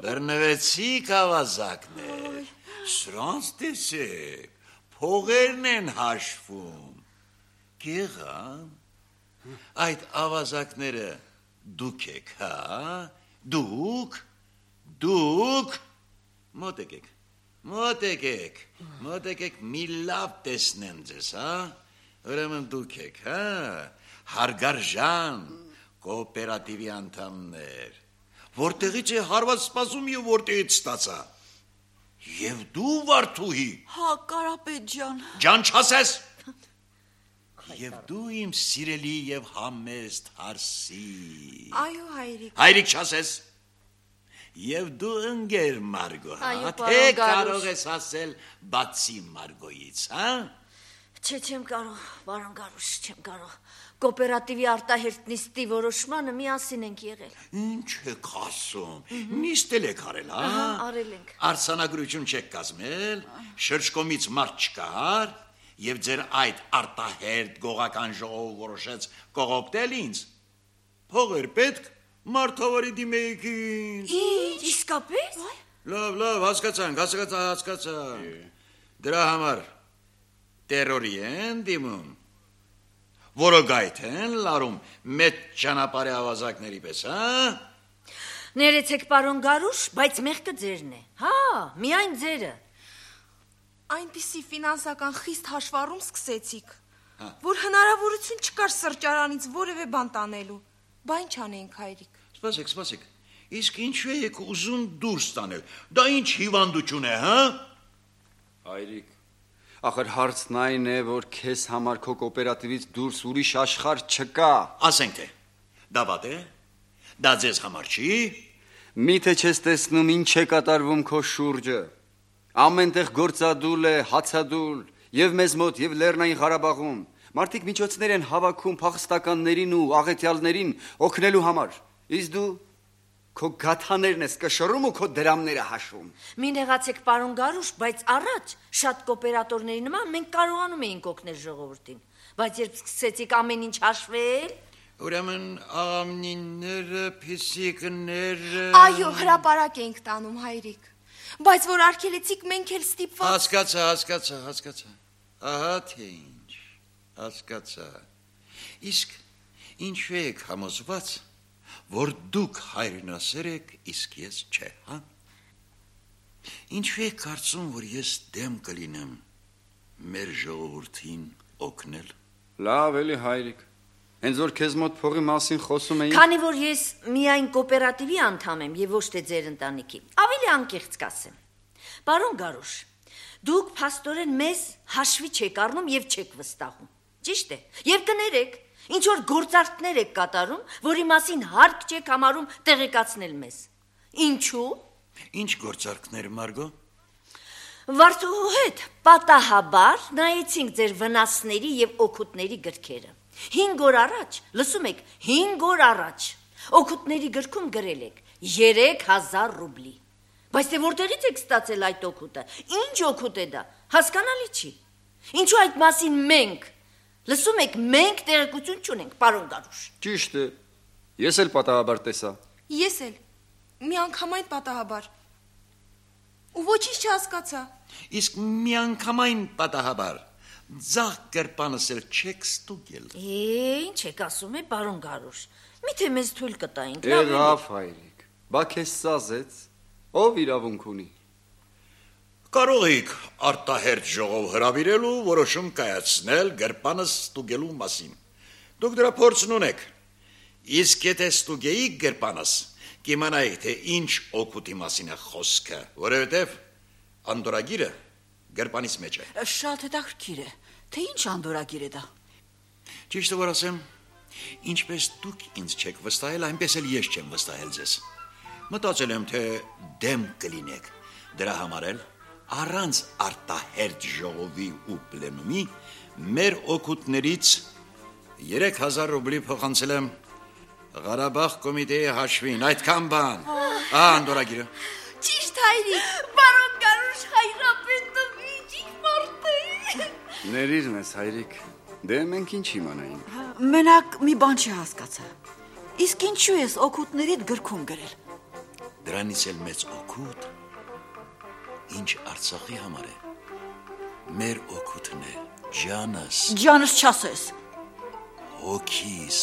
Բռնվեցիք ավազակներ։ Սրանց տեսեք, փողերն են հաշվում։ Եղա։ Այդ ավազակները դուք եք, հա։ Դուք, դուք մոտեկեք։ Մոտեկեք, մոտեկեք մի լավ տեսնեմ ձեզ, հա, Ուրեմն դուք եք, հա, հարգարժան կոոպերատիվի անդամներ, որտեղից է հարված սպասում եւ որտեղից ստացա։ Եվ դու Վարդուհի։ Հա, Կարապետ ջան։ Ջան չասես։ Եվ դու իմ սիրելի եւ համեստ Հարսի։ Այո, հայրիկ։ Հայրիկ չասես։ Եվ դու ընկեր Մարգո, Այո, թե պարոն Գարուշ։ կարող ես ասել բացի Մարգոյից, հա։ Չէ, չեմ կարող, պարոն Գարուշ, չեմ կարող։ Կոոպերատիվի արտահերտ նիստի որոշմանը միասին ենք եղել։ Ինչ եք ասում։ Նիստել եք արել, հա։ Ահա, արել ենք։ Արձանագրություն չեք կազմել, շրջկոմից մարդ չկար, եւ ձեր այդ արտահերտ գողական ժողովը որոշեց կողոպտել ինձ։ Փողեր պետք, մարդավարի դիմեիք ինձ։ Ինչ, իսկապես։ Լավ, լավ, հասկացանք, հասկացա, հասկացանք։ Դրա համար տերորի են դիմում, որոգայթ են լարում մեծ ճանապարհի ավազակների պես, հա։ Ներեցեք, պարոն Գարուշ, բայց մեղքը ձերն է։ Հա, միայն ձերը։ Այնպիսի ֆինանսական խիստ հաշվառում սկսեցիք, որ հնարավորություն չկար սրճարանից որևէ բան տանելու։ Բա ինչ անենք, հայրիկ։ Սպասեք, սպասեք։ Իսկ ինչու եք ուզում դուրս տանել։ Դա ինչ հիվանդություն է, հա։ Հայրիկ, ախր հարցն այն է, որ քեզ համար քո կոոպերատիվից դուրս ուրիշ աշխարհ չկա։ Ասենք թե, դա վատ է։ Դա ձեզ համար չի։ Միթե չես տեսնում ինչ է կատարվում քո շուրջը։ Ամենտեղ գործադուլ է, հացադուլ, եւ մեզ մոտ, եւ Լեռնային Ղարաբաղում։ Մարդիկ միջոցներ են հավաքում փախստականներին ու աղետյալներին օգնելու համար։ Իսկ դու քո գաթաներն ես կշռում ու քո դրամները հաշվում։ Մի նեղացեք, պարոն Գարուշ, բայց առաջ շատ կոոպերատորների նման մենք կարողանում էինք օգնել ժողովրդին, բայց երբ սկսեցիք ամեն ինչ հաշվել, ուրեմն աղամնիները, փիսիկները… Այո, հրապարակ ենք տանում, հայրիկ, բայց որ արգելեցիք մենք էլ ստիպված… Հասկացա, հասկացա, հասկացա, ահա թե ինչ, հասկացա, իսկ ինչու եք համոզված, որ դուք հայրենասեր եք, իսկ ես չէ, հա։ Ինչու եք կարծում, որ ես դեմ կլինեմ մեր ժողովրդին օգնել։ Լավ էլի հայրիկ, հենց որ քեզ մոտ փողի մասին խոսում էին… Քանի որ ես միայն կոոպերատիվի անդամ եմ եւ ոչ թե ձեր ընտանիքի, ավելի անկեղծ կասեմ։ Պարոն Գարուշ, դուք փաստորեն մեզ հաշվի չեք առնում եւ չեք վստահում։ Ճիշտ է։ Եվ կներեք, ինչ որ գործարքներ եք կատարում, որի մասին հարկ չեք համարում տեղեկացնել մեզ։ Ինչու՞։ Ինչ գործարքներ, Մարգո։ Վարդուհու հետ պատահաբար նայեցինք ձեր վնասների եւ օգուտների գրքերը։ հինգ օր առաջ, լսում եք, հինգ օր առաջ օգուտների գրքում գրել եք երեք հազար ռուբլի։ Բայց թե որտեղից եք ստացել այդ օգուտը։ Ինչ օգուտ է դա։ Հասկանալի չի։ Ինչու այդ մասին մենք, լսում եք, մենք տեղեկություն չունենք, պարոն Գարուշ։ Ճիշտ է։ Ես էլ պատահաբար տեսա։ Ես էլ միանգամայն պատահաբար։ Ու ոչինչ չհասկացա։ Իսկ միանգամայն պատահաբար ձախ կերպանս էլ չեք ստուգել։ Է, ինչ եք ասում, է, պարոն Գարուշ։ Միթե մեզ թույլ կտայինք։ Եղավ, հայրիկ։ Բա քեզ սազեց։ Ով իրավունք ունի։ Կարող եք արտահերտ ժողով հրավիրելու որոշում կայացնել գերպանս ստուգելու մասին։ Դուք դրա փորձն ունեք։ Իսկ եթե ստուգեիք գերպանս, կիմանայիք, թե ինչ օգուտի մասին է խոսքը, որովհետև անդորագիրը գերպանից մեջ է։ Շատ հետաքրքիր է, թե ինչ անդորագիր է դա։ Ճիշտը որ ասեմ, ինչպես դուք ինձ չեք վստահել, այնպես էլ ես չեմ վստահել ձեզ։ Մտածել եմ, թե դեմ կլինեք։ Դրա համար էլ առանց արտահերտ ժողովի ու պլենումի մեր օգուտներից երեք հազար ռուբլի փոխանցել եմ Ղարաբաղ կոմիտեի հաշվին, այդքան բան։ Ահա անդորագիրը։ Ճիշտ, հայրիկ։ Պարոն Գարուշ, հայրապետը միջիկ մարդ է։ Ներիր մեզ, հայրիկ։ Դե մենք ինչ իմանայինք։ Մենակ մի բան չհասկացա։ Իսկ ինչու ես օգուտներիդ գրքում գրել։ Դրանից էլ մեծ օգուտ, ինչ Արցախի համար է։ Մեր օգուտն է, ջանս։ Ջանս չասես։ Հոգիս։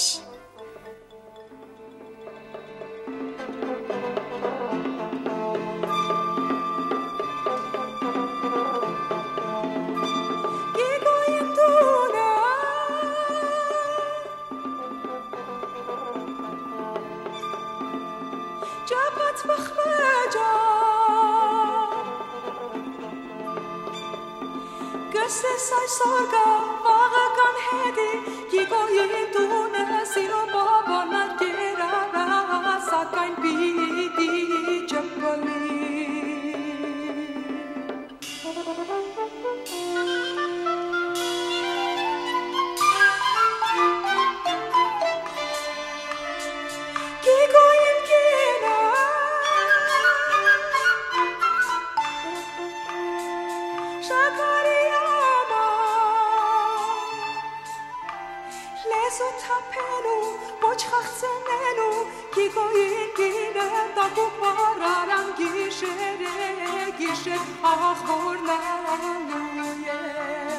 ջապած բխմեջա Գսես այսօր գա վաղը կան հետի Գիգոյին տունը սիրո բաբանա կերարա Սակայն պիտի չպլի Գիշեր ախորնալու է